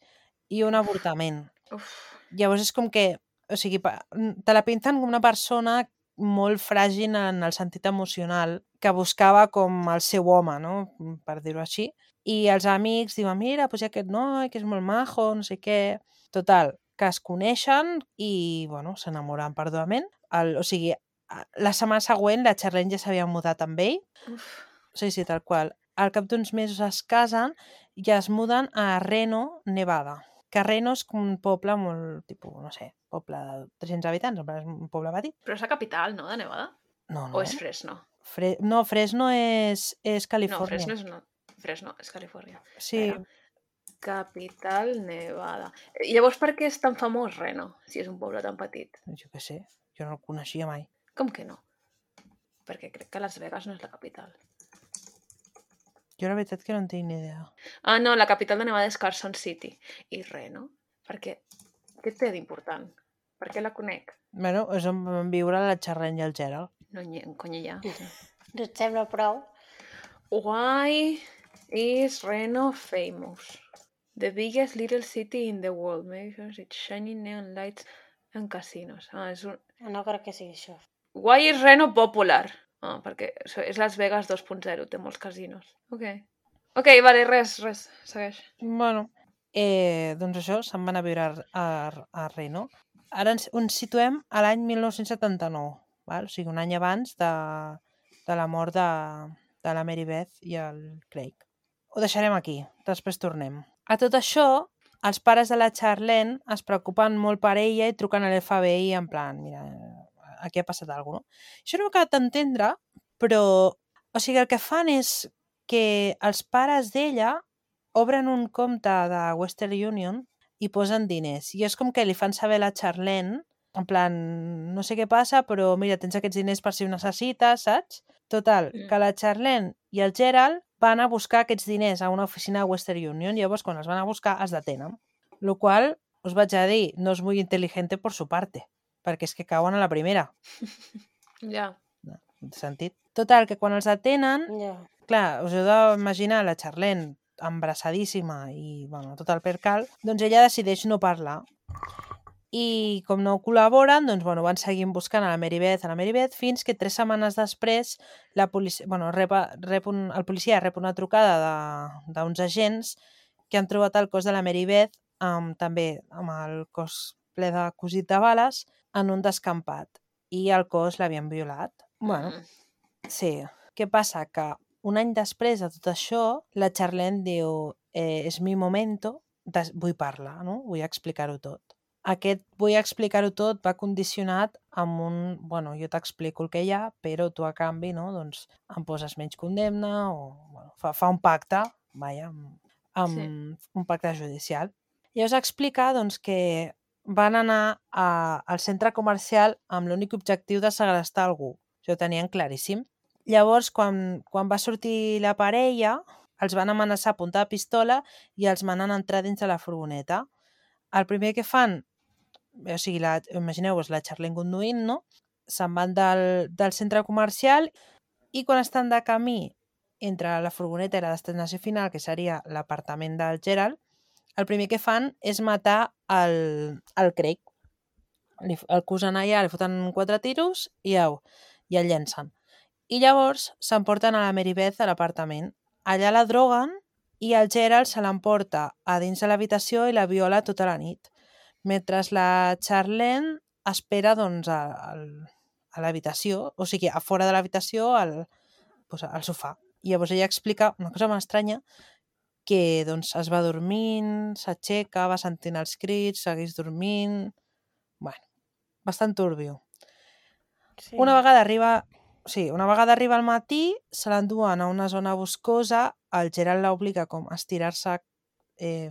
Speaker 3: i un avortament.
Speaker 1: Uf.
Speaker 3: Llavors és com que, o sigui, pa- te la pinten com una persona molt fràgil en el sentit emocional, que buscava com el seu home, no? Per dir-ho així. I els amics diuen, mira, doncs hi ha aquest noi, que és molt majo, no sé què... Total, que es coneixen i, bueno, s'enamoren perdudament. El, o sigui, a- la setmana següent la Charlene ja s'havia mudat amb ell.
Speaker 1: Uf.
Speaker 3: Sí, sí, tal qual. Al cap d'uns mesos es casen i es muden a Reno, Nevada. Que Reno és com un poble molt, tipus, no sé, poble de tres-cents habitants, en plan, és un poble petit.
Speaker 1: Però és la capital, no, de Nevada?
Speaker 3: No, no.
Speaker 1: O és Fresno?
Speaker 3: Fre no, Fresno és, és
Speaker 1: No,
Speaker 3: Califòrnia.
Speaker 1: Fresno és, no. Fresno és Califòrnia.
Speaker 3: Sí,
Speaker 1: Espera. Capital Nevada. I llavors per què és tan famós Reno, si és un poble tan petit?
Speaker 3: jo què sé, jo no el coneixia mai.
Speaker 1: Com que no? Perquè crec que Las Vegas no és la capital.
Speaker 3: Jo la veritat que no en tinc ni idea.
Speaker 1: Ah, no, la capital de Nevada és Carson City. I Reno? Per què? Què té d'important? Per què la conec?
Speaker 3: Bueno, és on van viure la Charlene i el Gerald.
Speaker 1: No hi ha, cony hi ha.
Speaker 2: No et sembla prou?
Speaker 1: Why is Reno famous? The biggest little city in the world. Makes its shining neon lights and casinos. Ah, és un...
Speaker 2: No crec que sigui això.
Speaker 1: Why is Reno popular? Ah, perquè és Las Vegas dos punt zero, té molts casinos. Ok. Ok, vale, res, res, segueix.
Speaker 3: Bueno, eh, doncs això, se'n van a viure a, a, a Reno. Ara ens, ens situem a l'any mil nou-cents setanta-nou, val? O sigui, un any abans de, de la mort de, de la Mary Beth i el Craig. Ho deixarem aquí, després tornem. A tot això, els pares de la Charlene es preocupen molt per ella i truquen a l'F B I en plan, mira, aquí ha passat alguna cosa, no? Això no m'ha acabat d'entendre, però, o sigui, el que fan és que els pares d'ella obren un compte de Western Union i posen diners. I és com que li fan saber a la Charlene en plan, no sé què passa, però mira, tens aquests diners per si ho necessites, saps? Total,
Speaker 1: Mm.
Speaker 3: que la Charlene i el Gerald van a buscar aquests diners a una oficina de Western Union, llavors quan els van a buscar els detenen. Lo qual, us vaig a dir, no és molt intel·ligente por su parte, perquè és que cauen a la primera.
Speaker 1: Ja.
Speaker 3: No, no té sentit. Total, que quan els detenen,
Speaker 2: Ja.
Speaker 3: clar, us heu d'imaginar la Charlene embaraçadíssima i, bueno, tot el percal, doncs ella decideix no parlar. I com no col·laboren, doncs, bueno, van seguir buscant a la Mary Beth, a la Mary Beth, fins que tres setmanes després la policia, bueno, rep, rep un, el policia rep una trucada d'uns agents que han trobat el cos de la Mary Beth amb, també amb el cos ple de cosit de bales en un descampat i el cos l'havien violat. Bueno,
Speaker 1: Mm.
Speaker 3: sí. Què passa? Que un any després de tot això, la Charlene diu eh, és mi momento, des, vull parlar, no? Vull explicar-ho tot. Aquest vull explicar-ho tot va condicionat amb un, bueno, jo t'explico el que hi ha, però tu a canvi, no, doncs em poses menys condemna o, bueno, fa, fa un pacte, vaja, amb, amb
Speaker 1: Sí.
Speaker 3: un pacte judicial. I us explica, doncs, que van anar a, al centre comercial amb l'únic objectiu de segrestar algú. Això ho tenien claríssim. Llavors, quan, quan va sortir la parella, els van amenaçar a punta de pistola i els manen entrar dins de la furgoneta. El primer que fan, o sigui, la, imagineu-vos la Charlene conduint, no? Se'n van del, del centre comercial i quan estan de camí entre la furgoneta i la destinació final, que seria l'apartament del Gerald, el primer que fan és matar el, el Craig. Li, el cosen allà, li foten quatre tiros i au, i el llencen. I llavors s'emporten a la Mary Beth a l'apartament. Allà la droguen i el Gerald se l'emporta a dins de l'habitació i la viola tota la nit. Mentre la Charlene espera doncs, a, a, a l'habitació, o sigui, a fora de l'habitació, al, doncs, al sofà. I llavors ella explica una cosa molt estranya, que doncs, es va dormint, s'aixeca, va sentint els crits, segueix dormint... Bueno, bastant turbio.
Speaker 2: Sí.
Speaker 3: Una vegada arriba... Sí, una vegada arriba al matí, se l'enduen a una zona boscosa, el Gerald l'obliga com a estirar-se eh,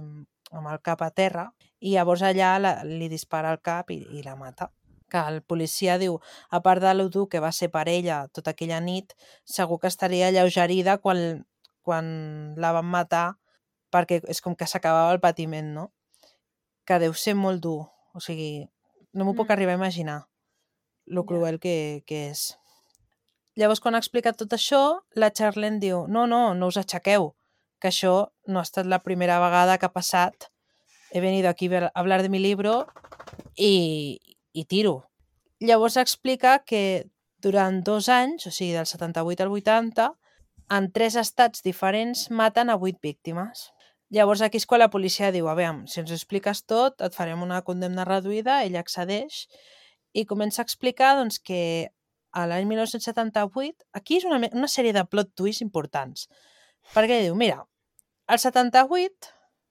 Speaker 3: amb el cap a terra i llavors allà la, li dispara al cap i, i la mata. Que el policia diu, a part de lo dur que va ser per ella tota aquella nit, segur que estaria alleugerida quan, quan la van matar perquè és com que s'acabava el patiment, no? Que deu ser molt dur. O sigui, no m'ho puc
Speaker 1: Mm.
Speaker 3: arribar a imaginar lo
Speaker 1: Ja.
Speaker 3: cruel que, que és. Llavors, quan ha explicat tot això, la Charlene diu, no, no, no us aixequeu, que això no ha estat la primera vegada que ha passat. He venido aquí a hablar de mi libro i, i tiro. Llavors explica que durant dos anys, o sigui, del setanta-vuit al vuitanta, en tres estats diferents maten a vuit víctimes. Llavors aquí és quan la policia diu, a veure, si ens ho expliques tot, et farem una condemna reduïda, ella accedeix i comença a explicar doncs, que a l'any dinou setanta-vuit, aquí és una, una sèrie de plot twists importants, perquè diu, mira, al setanta-vuit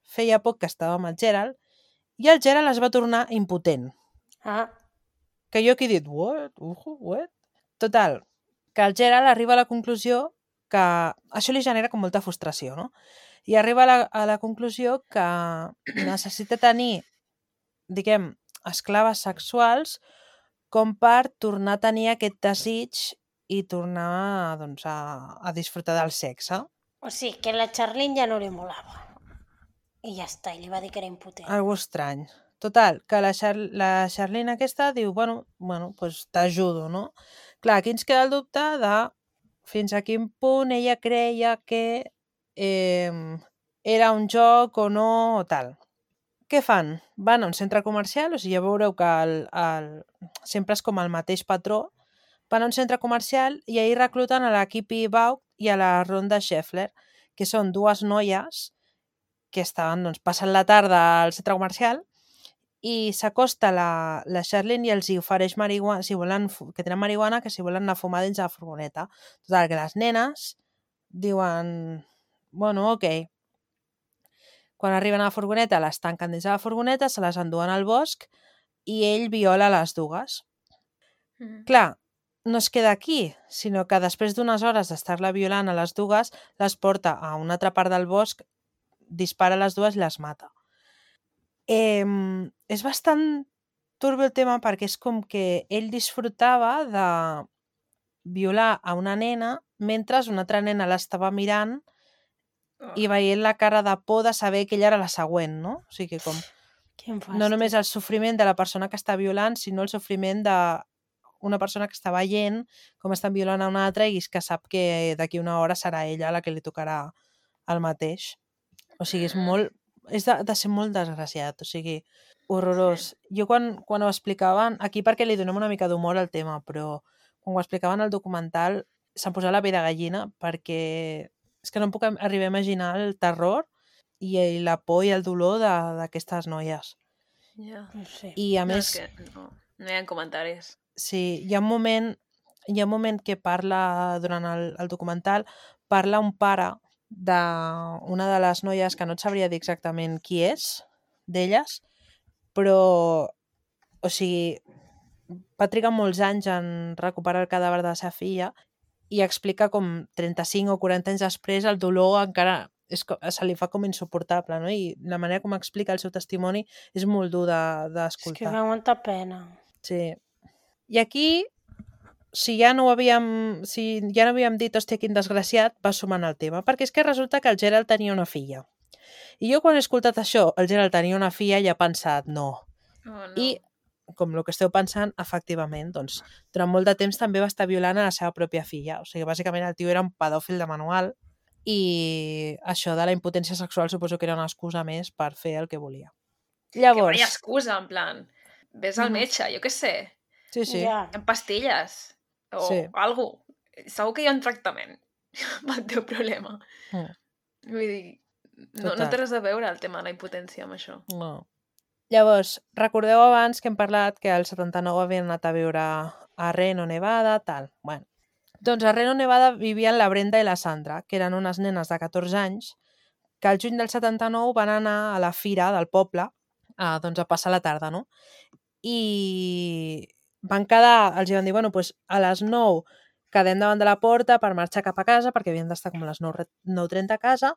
Speaker 3: feia poc que estava amb el Gerald i el Gerald es va tornar impotent.
Speaker 2: Ah,
Speaker 3: Que jo aquí he dit, what? Ujo, what? Total, que el Gerald arriba a la conclusió que això li genera com molta frustració, no? I arriba a la, a la conclusió que necessita tenir, diguem, esclaves sexuals com per tornar a tenir aquest desig i tornar doncs, a, a disfrutar del sexe.
Speaker 2: o sigui, que la Charlene ja no li molava. I ja està, i li va dir que era impotent.
Speaker 3: Algo estrany. Total, que la, Char la Charlene aquesta diu, bueno, bueno pues t'ajudo, no? Clar, aquí ens queda el dubte de fins a quin punt ella creia que eh, era un joc o no o tal. Què fan? Van a un centre comercial, o sigui, ja veureu que el, el, sempre és com el mateix patró. Van a un centre comercial i ahir recluten a la Kippy Baugh i a la Rhonda Scheffler, que són dues noies que estaven doncs, passant la tarda al centre comercial i s'acosta la, la Charlene i els hi ofereix marihuana, si volen, que tenen marihuana, que si volen anar a fumar dins de la furgoneta. Total, que les nenes diuen, bueno, ok. Quan arriben a la furgoneta, les tanquen dins de la furgoneta, se les enduen al bosc i ell viola les dues.
Speaker 1: Mm.
Speaker 3: Clar, no es queda aquí, sinó que després d'unes hores d'estar-la violant a les dues, les porta a una altra part del bosc, dispara les dues i les mata. Eh, és bastant turbi el tema perquè és com que ell disfrutava de violar a una nena mentre una altra nena l'estava mirant i veient la cara de por de saber que ella era la següent, no? O sigui, com
Speaker 2: Quin fàstic.
Speaker 3: no només el sofriment de la persona que està violant, sinó el sofriment de una persona que està veient com estan violant a una altra i que sap que d'aquí una hora serà ella la que li tocarà el mateix. O sigui, és molt... És de, de ser molt desgraciat, o sigui, horrorós. Sí. Jo quan, quan ho explicaven, aquí perquè li donem una mica d'humor al tema, però quan ho explicaven al documental se'm posava la pell de gallina perquè és que no em puc arribar a imaginar el terror i la por i el dolor d'aquestes noies.
Speaker 1: Ja.
Speaker 2: No sé.
Speaker 3: I a
Speaker 1: No,
Speaker 3: més...
Speaker 1: és que no, no hi ha comentaris.
Speaker 3: Sí, hi ha un moment, hi ha un moment que parla, durant el, el documental, parla un pare d'una de les noies que no et sabria dir exactament qui és, d'elles, però, o sigui, va trigar molts anys en recuperar el cadàver de la seva filla i explica com trenta-cinc o quaranta anys després el dolor encara és, se li fa com insuportable, no? I la manera com explica el seu testimoni és molt dur d'escoltar.
Speaker 2: És que fa molta pena.
Speaker 3: Sí. I aquí, si ja no ho havíem, si ja no havíem dit, hòstia, quin desgraciat, va sumant el tema, perquè és que resulta que el Gerald tenia una filla. I jo quan he escoltat això, el Gerald tenia una filla, ja he pensat, no.
Speaker 1: Oh, no.
Speaker 3: I, com el que esteu pensant, efectivament, doncs, durant molt de temps també va estar violant a la seva pròpia filla. O sigui, bàsicament el tio era un pedòfil de manual i això de la impotència sexual suposo que era una excusa més per fer el que volia. Llavors...
Speaker 1: Que vaya excusa, en plan, ves al metge, jo què sé.
Speaker 3: Sí, sí.
Speaker 2: Ja.
Speaker 1: En pastilles o
Speaker 3: Sí.
Speaker 1: algo. Segur que hi ha un tractament pel teu problema.
Speaker 3: Mm.
Speaker 1: Vull dir, no, no
Speaker 3: Total.
Speaker 1: té res a veure el tema de la impotència amb això.
Speaker 3: No. Llavors, recordeu abans que hem parlat que al setanta-nou havien anat a viure a Reno, Nevada, tal. Bueno, doncs a Reno, Nevada vivien la Brenda i la Sandra, que eren unes nenes de catorze anys, que al juny del setanta-nou van anar a la fira del poble a, doncs, a passar la tarda, no? I van quedar, els van dir, bueno, doncs a les nou quedem davant de la porta per marxar cap a casa, perquè havien d'estar com a les nou trenta a casa,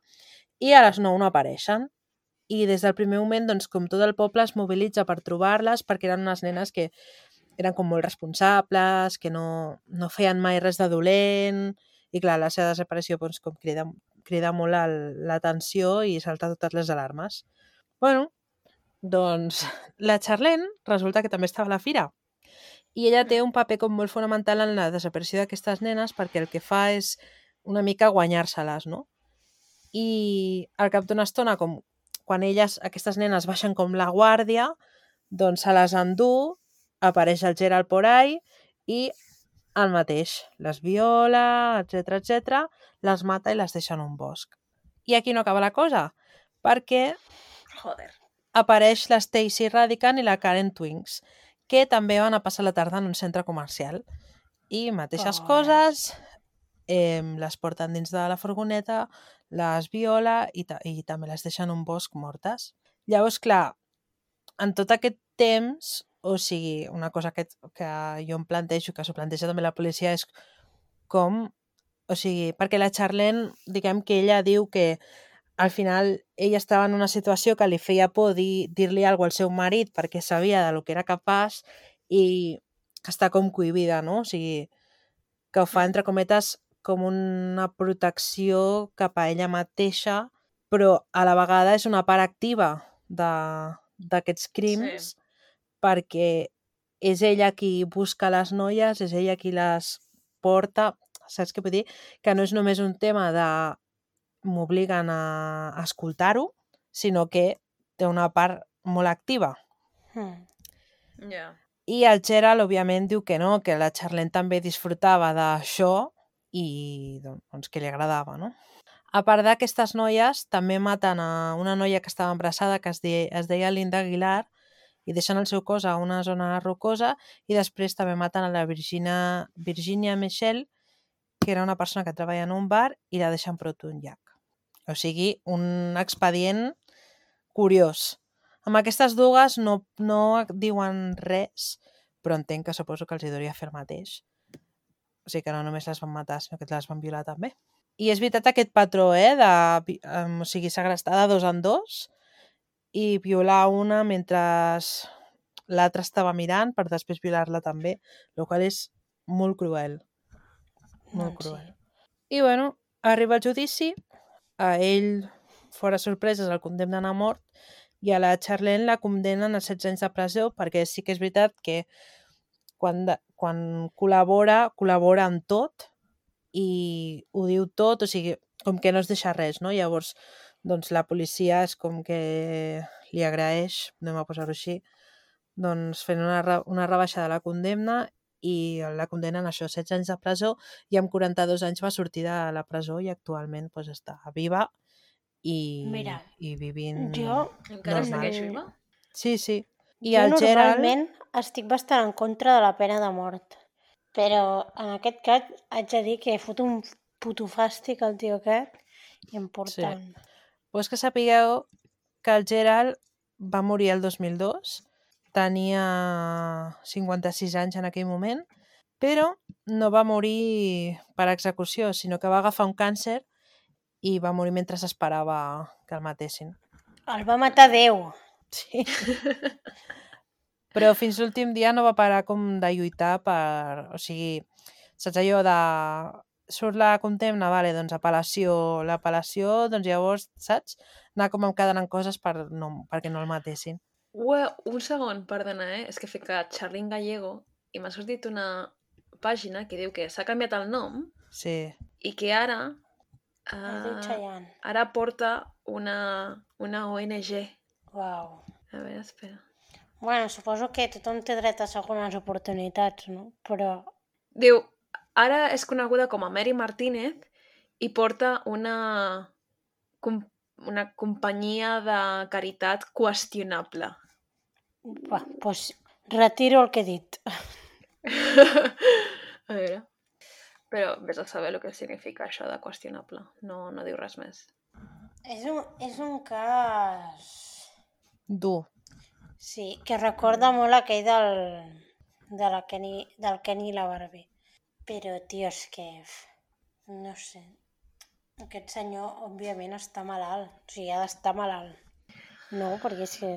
Speaker 3: i a les nou no apareixen. I des del primer moment, doncs, com tot el poble es mobilitza per trobar-les, perquè eren unes nenes que eren com molt responsables, que no, no feien mai res de dolent, i clar, la seva desaparició doncs, com crida, crida molt l'atenció i salta totes les alarmes. Bueno, doncs la Charlene resulta que també estava a la fira i ella té un paper com molt fonamental en la desaparició d'aquestes nenes perquè el que fa és una mica guanyar-se-les, no? I al cap d'una estona, com quan elles, aquestes nenes, baixen com la guàrdia, doncs se les endú, apareix el Gerald por ahí i el mateix, les viola, etcètera, etcètera, les mata i les deixa en un bosc. I aquí no acaba la cosa, perquè
Speaker 1: Joder.
Speaker 3: apareix la Stacy Radican i la Karen Twinks, que també van a passar la tarda en un centre comercial. I mateixes
Speaker 2: Pobres.
Speaker 3: coses, eh, les porten dins de la furgoneta, les viola i, ta i també les deixen en un bosc mortes. Llavors, clar, en tot aquest temps, o sigui, una cosa que, que jo em plantejo, que s'ho planteja també la policia, és com... O sigui, perquè la Charlene, diguem que ella diu que al final ella estava en una situació que li feia por dir-li dir alguna cosa al seu marit perquè sabia de lo que era capaç i que està com cohibida, no? O sigui, que ho fa, entre cometes, com una protecció cap a ella mateixa, però a la vegada és una part activa d'aquests crims, sí, perquè és ella qui busca les noies, és ella qui les porta, saps què vull dir? Que no és només un tema de m'obliguen a escoltar-ho, sinó que té una part molt activa.
Speaker 2: Hmm.
Speaker 1: Ja.
Speaker 3: I el Gerald, òbviament, diu que no, que la Charlene també disfrutava d'això i doncs que li agradava, no? A part d'aquestes noies, també maten a una noia que estava embarassada que es deia, es deia Linda Aguilar i deixen el seu cos a una zona rocosa i després també maten a la Virginia, Virginia Michelle, que era una persona que treballa en un bar i la deixen prop d'un llac. O sigui, un expedient curiós. Amb aquestes dues no, no diuen res, però entenc que suposo que els hi hauria fer el mateix. O sigui que no només les van matar, sinó que les van violar també. I és veritat aquest patró, eh, de, um, o sigui, segrestar de dos en dos i violar una mentre l'altre estava mirant per després violar-la també, el qual és molt cruel. Molt
Speaker 2: Doncs
Speaker 3: cruel.
Speaker 2: sí.
Speaker 3: I bueno, arriba el judici, a ell, fora sorpreses, el condemnen a mort i a la Charlene la condemnen a setze anys de presó, perquè sí que és veritat que quan, de, quan col·labora, col·labora en tot i ho diu tot, o sigui, com que no es deixa res, no? Llavors, doncs la policia és com que li agraeix, anem a posar-ho així, doncs fent una, re- una rebaixa de la condemna i la condemnen a això, setze anys de presó, i amb quaranta-dos anys va sortir de la presó i actualment pues, està viva i,
Speaker 2: Mira,
Speaker 3: i vivint
Speaker 2: jo-
Speaker 1: Encara
Speaker 3: normal.
Speaker 1: segueix viva?
Speaker 3: Sí, sí. I
Speaker 2: jo
Speaker 3: el Gerald...
Speaker 2: normalment estic bastant en contra de la pena de mort, però en aquest cas haig de dir que fot un puto fàstic el tio aquest important.
Speaker 3: Pues que sapigueu que el Gerald va morir el dos mil dos, tenia cinquanta-sis anys en aquell moment, però no va morir per execució, sinó que va agafar un càncer i va morir mentre esperava que el matessin.
Speaker 2: El va matar Déu.
Speaker 3: Sí. Però fins l'últim dia no va parar com de lluitar per... O sigui, saps allò de... Surt la condemna, vale, doncs apel·lació, l'apel·lació, doncs llavors, saps? Anar com encadenant coses per no, perquè no el matessin.
Speaker 1: Ue, un segon, perdona, eh? És que he ficat Charlene Gallego i m'ha sortit una pàgina que diu que s'ha canviat el nom
Speaker 3: Sí.
Speaker 1: i que ara
Speaker 2: Es diu
Speaker 1: uh,
Speaker 2: Chayanne.
Speaker 1: ara porta una, una O N G.
Speaker 2: Uau.
Speaker 1: A veure, espera.
Speaker 2: Bueno, suposo que tothom té dret a segones oportunitats, no? Però
Speaker 1: Diu, ara és coneguda com a Mary Martínez i porta una, com, una companyia de caritat qüestionable.
Speaker 2: va, doncs retiro el que he dit.
Speaker 1: A veure. Però vés a saber el que significa això de qüestionable. No, no diu res més.
Speaker 2: És un, és un cas...
Speaker 3: Dur.
Speaker 2: Sí, que recorda molt aquell del, de la Kenny, del Kenny i la Barbie. Però, tio, és que... No sé. Aquest senyor, òbviament, està malalt. O sigui, ha d'estar malalt. No, perquè és que...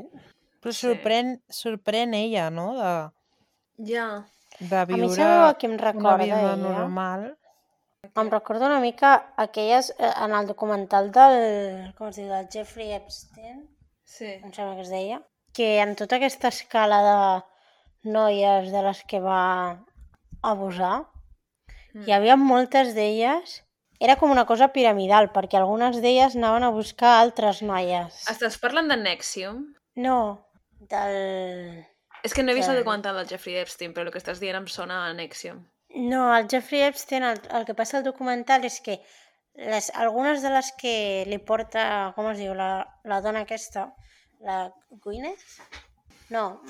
Speaker 3: Però
Speaker 1: Sí.
Speaker 3: sorprèn, sorprèn ella, no? De,
Speaker 1: Ja.
Speaker 3: de
Speaker 2: A mi
Speaker 3: viure
Speaker 2: sabeu a què em
Speaker 3: una
Speaker 2: recorda,
Speaker 3: vida
Speaker 2: ella?
Speaker 3: normal.
Speaker 2: Em recorda una mica aquelles... eh, En el documental del... Com es diu? Del Jeffrey Epstein,
Speaker 1: Sí.
Speaker 2: em sembla que es deia, que en tota aquesta escala de noies de les que va abusar,
Speaker 1: Mm.
Speaker 2: hi havia moltes d'elles... Era com una cosa piramidal, perquè algunes d'elles anaven a buscar altres noies.
Speaker 1: Estàs parlant de Nexium?
Speaker 2: No, del...
Speaker 1: És que no he vist el
Speaker 2: Del-
Speaker 1: documental del Jeffrey Epstein, però el que estàs dient em sona a Nexium.
Speaker 2: No, el Jeffrey Epstein, el, el que passa al documental és que les, algunes de les que li porta, com es diu, la, la dona aquesta, la Gwyneth? No,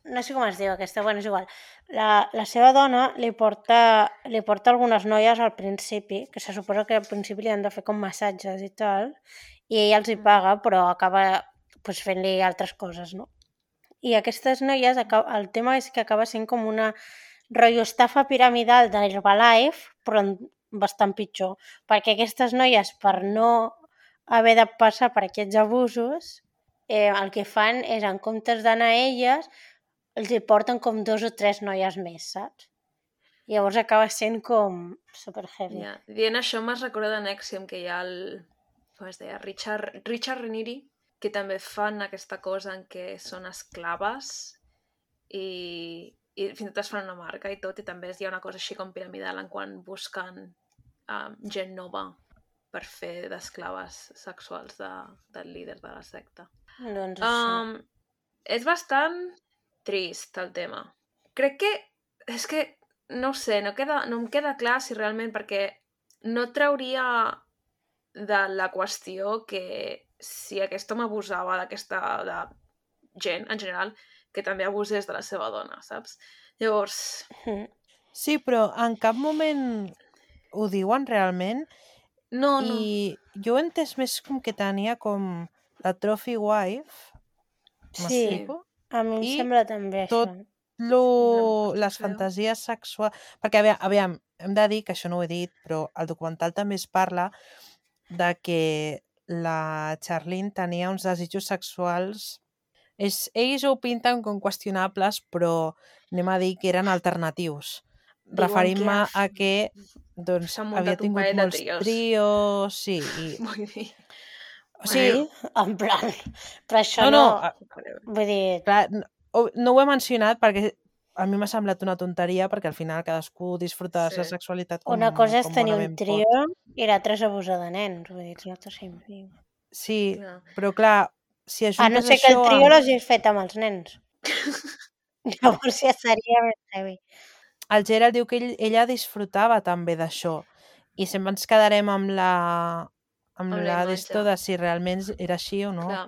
Speaker 2: no sé com es diu aquesta, bueno, és igual. La, la seva dona li porta, li porta algunes noies al principi, que se suposa que al principi li han de fer com massatges i tal, i ella els hi paga, però acaba pues, fent-li altres coses, no? I aquestes noies, acaba, el tema és que acaba sent com una rotllo estafa piramidal d'Herbalife, però en- bastant pitjor, perquè aquestes noies, per no haver de passar per aquests abusos, eh, el que fan és, en comptes d'anar a elles, els hi porten com dos o tres noies més, saps? I llavors acaba sent com super heavy.
Speaker 1: Ja. Dient això m'has recordat de Nexium, que hi ha el... Com es deia? Richard, Richard Reniri, que també fan aquesta cosa en què són esclaves i, i fins i tot es fan una marca i tot, i també hi ha una cosa així com piramidal en quan busquen um, gent nova per fer d'esclaves sexuals de, del líder de la secta.
Speaker 2: Doncs això.
Speaker 1: Um, és bastant trist el tema. Crec que és que no ho sé, no, queda, no em queda clar si realment, perquè no trauria de la qüestió que si aquest home abusava d'aquesta de gent en general, que també abusés de la seva dona, saps? Llavors,
Speaker 2: Mm.
Speaker 3: Sí, però en cap moment ho diuen realment
Speaker 1: no, no.
Speaker 3: i jo he entès més com que tenia com la trophy wife,
Speaker 2: Sí,
Speaker 3: m'explico?
Speaker 2: a mi em
Speaker 3: I
Speaker 2: sembla també
Speaker 3: tot
Speaker 2: això.
Speaker 3: lo,
Speaker 1: No,
Speaker 3: les
Speaker 1: feo.
Speaker 3: fantasies sexuals... Perquè, aviam, aviam, hem de dir que això no ho he dit, però el documental també es parla de que la Charlene tenia uns desitjos sexuals És, ells ho pinten com qüestionables, però anem a dir que eren alternatius. Referint-me a que doncs, havia tingut molts trios. trios, sí. I...
Speaker 1: Vull dir...
Speaker 3: O sigui,
Speaker 2: sí, en plan... Però això
Speaker 3: no...
Speaker 2: no...
Speaker 3: no
Speaker 2: vull dir...
Speaker 3: Clar, no, no ho he mencionat perquè a mi m'ha semblat una tonteria, perquè al final cadascú disfruta sí. de la seva sexualitat com,
Speaker 2: una cosa és
Speaker 3: com
Speaker 2: tenir un trio
Speaker 3: pot.
Speaker 2: i l'altra és abusar de nens. Vull dir, no t'ho sempre.
Speaker 3: Sí, clar. Però clar, si ajuntes
Speaker 2: això... A no ser
Speaker 3: això
Speaker 2: que el trio
Speaker 3: amb...
Speaker 2: l'hagis fet amb els nens. Llavors ja seria més heavy.
Speaker 3: El Gerald diu que ell, ella disfrutava també d'això i sempre ens quedarem amb la amb, amb la d'esto de si realment era així o no.
Speaker 1: Clar,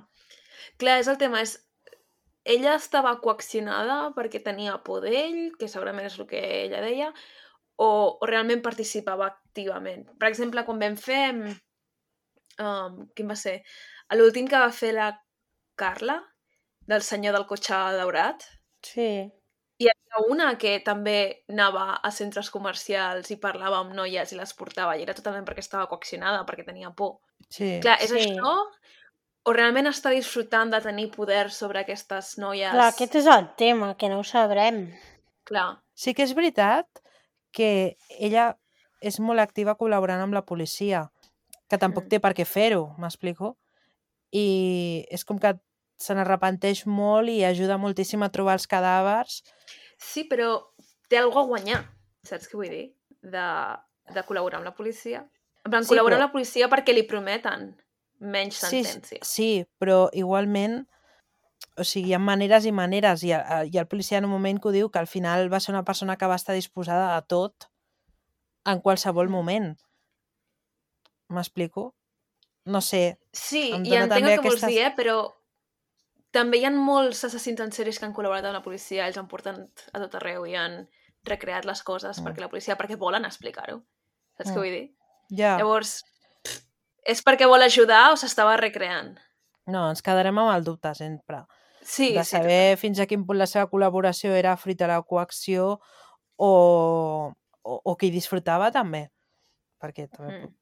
Speaker 1: clar és el tema, és ella estava coaccionada perquè tenia por d'ell, que segurament és el que ella deia, o, o realment participava activament. Per exemple, quan vam fer... Um, quin va ser? L'últim que va fer la Carla, del senyor del cotxe daurat.
Speaker 2: Sí.
Speaker 1: Hi havia una que també anava a centres comercials i parlava amb noies i les portava, i era totalment perquè estava coaccionada, perquè tenia por.
Speaker 3: Sí.
Speaker 1: Clar, és
Speaker 2: sí.
Speaker 1: això... o realment està disfrutant de tenir poder sobre aquestes noies?
Speaker 2: Clar, aquest és el tema, que no ho sabrem.
Speaker 1: Clar.
Speaker 3: Sí que és veritat que ella és molt activa col·laborant amb la policia, que tampoc té per què fer-ho, m'explico? I és com que se n'arrepenteix molt i ajuda moltíssim a trobar els cadàvers.
Speaker 1: Sí, però té alguna a guanyar, saps què vull dir? De, de col·laborar amb la policia. En plan, sí, col·laborar però... amb la policia perquè li prometen menys sentència.
Speaker 3: Sí, sí, però igualment, o sigui, hi ha maneres i maneres, i, i el policia en un moment que ho diu, que al final va ser una persona que va estar disposada a tot en qualsevol moment. M'explico? No sé.
Speaker 1: Sí, i entenc el que aquestes... vols dir, eh? Però també hi ha molts assassins en sèries que han col·laborat amb la policia, ells han portat a tot arreu i han recreat les coses mm. perquè la policia, perquè volen explicar-ho. Saps mm. què vull dir?
Speaker 3: Ja.
Speaker 1: Llavors, és perquè vol ajudar o s'estava recreant?
Speaker 3: No, ens quedarem amb el dubte sempre.
Speaker 1: Sí,
Speaker 3: de saber
Speaker 1: sí,
Speaker 3: fins a quin punt la seva col·laboració era fruit de la coacció o, o, o que hi disfrutava també. Perquè també, mm.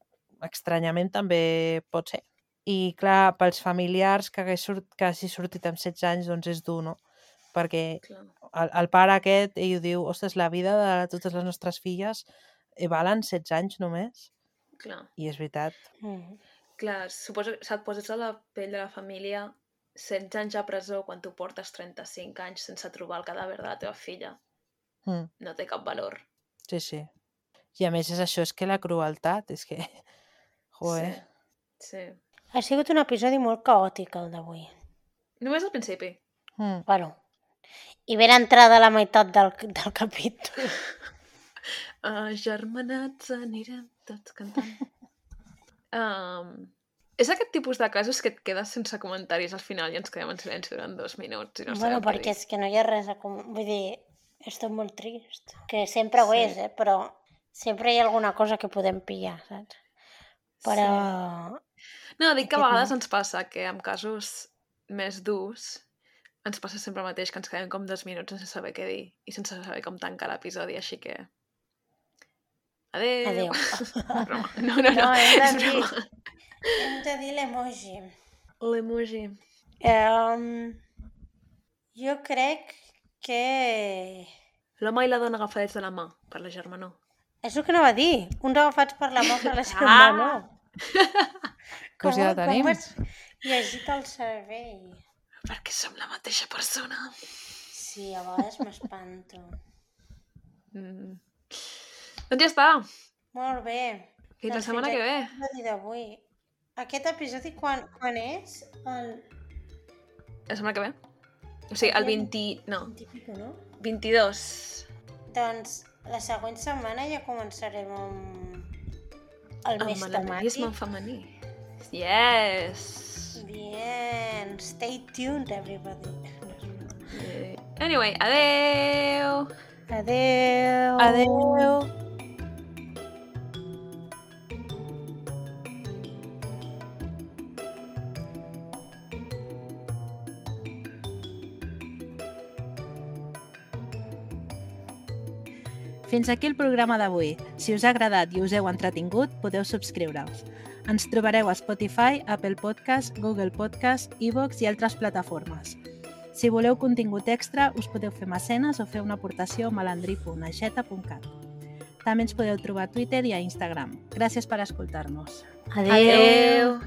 Speaker 3: estranyament també pot ser. I clar, pels familiars que hagi, sort, que hagi sortit amb setze anys, doncs és dur, no? Perquè el, el pare aquest, ell diu, ostres, la vida de totes les nostres filles valen setze anys només.
Speaker 1: Clar.
Speaker 3: I és veritat.
Speaker 1: Mm. Clar, suposo que et poses a la pell de la família, setze anys a presó quan tu portes trenta-cinc anys sense trobar el cadàver de la teva filla. Mm. No té cap valor.
Speaker 3: Sí, sí. I a més és això, és que la crueltat, és que... Joder.
Speaker 1: Sí, sí.
Speaker 2: Ha sigut un episodi molt caòtic, el d'avui.
Speaker 1: Només al principi.
Speaker 3: Mm.
Speaker 2: Bueno, i ben entrada a la meitat del, del capítol.
Speaker 1: Agermanats anirem tots cantant. um, és aquest tipus de casos que et quedes sense comentaris al final i ens quedem en silenci durant dos minuts. I no
Speaker 2: bueno, perquè és que no hi ha res a... Com... Vull dir, és tot molt trist. Que sempre ho sí. és, eh? Però sempre hi ha alguna cosa que podem pillar, saps? Però...
Speaker 1: Sí. No, dic que a vegades ens passa que en casos més durs ens passa sempre el mateix, que ens quedem com dos minuts sense saber què dir i sense saber com tancar l'episodi, així que... Adéu.
Speaker 2: Adéu.
Speaker 1: No, no, no, no
Speaker 2: hem de
Speaker 1: és
Speaker 2: dir,
Speaker 1: broma.
Speaker 2: Hem de dir l'emoji.
Speaker 1: L'emoji.
Speaker 2: Um, jo crec que...
Speaker 1: L'home i la dona agafadets de la mà, per la germanor.
Speaker 2: És el que anava a dir. Uns agafats per la mà per la germanor.
Speaker 3: Ah! Com, pues ja tenim.
Speaker 2: Com has llegit el cervell?
Speaker 1: Perquè som la mateixa persona.
Speaker 2: Sí, a vegades m'espanto.
Speaker 1: Mm. Doncs ja està.
Speaker 2: Molt bé.
Speaker 1: Fins la setmana que ve.
Speaker 2: L'episodi d'avui. Aquest episodi quan, quan és? El...
Speaker 1: La setmana que ve? O sigui, el vint... No.
Speaker 2: vint, no?
Speaker 1: vint-i-dos.
Speaker 2: Doncs la següent setmana ja començarem amb el més temàtic.
Speaker 1: Amb el femení. Yes!
Speaker 2: Bien. Stay tuned, everybody.
Speaker 1: Anyway, adeu!
Speaker 2: Adeu!
Speaker 3: Adeu! Fins aquí el programa d'avui. Si us ha agradat i us heu entretingut, podeu subscriure-us. Ens trobareu a Spotify, Apple Podcast, Google Podcast, iVoox i altres plataformes. Si voleu contingut extra, us podeu fer mecenes o fer una aportació a malandrí punt aixeta punt cat. També ens podeu trobar a Twitter i a Instagram. Gràcies per escoltar-nos.
Speaker 2: Adéu.
Speaker 1: Adéu.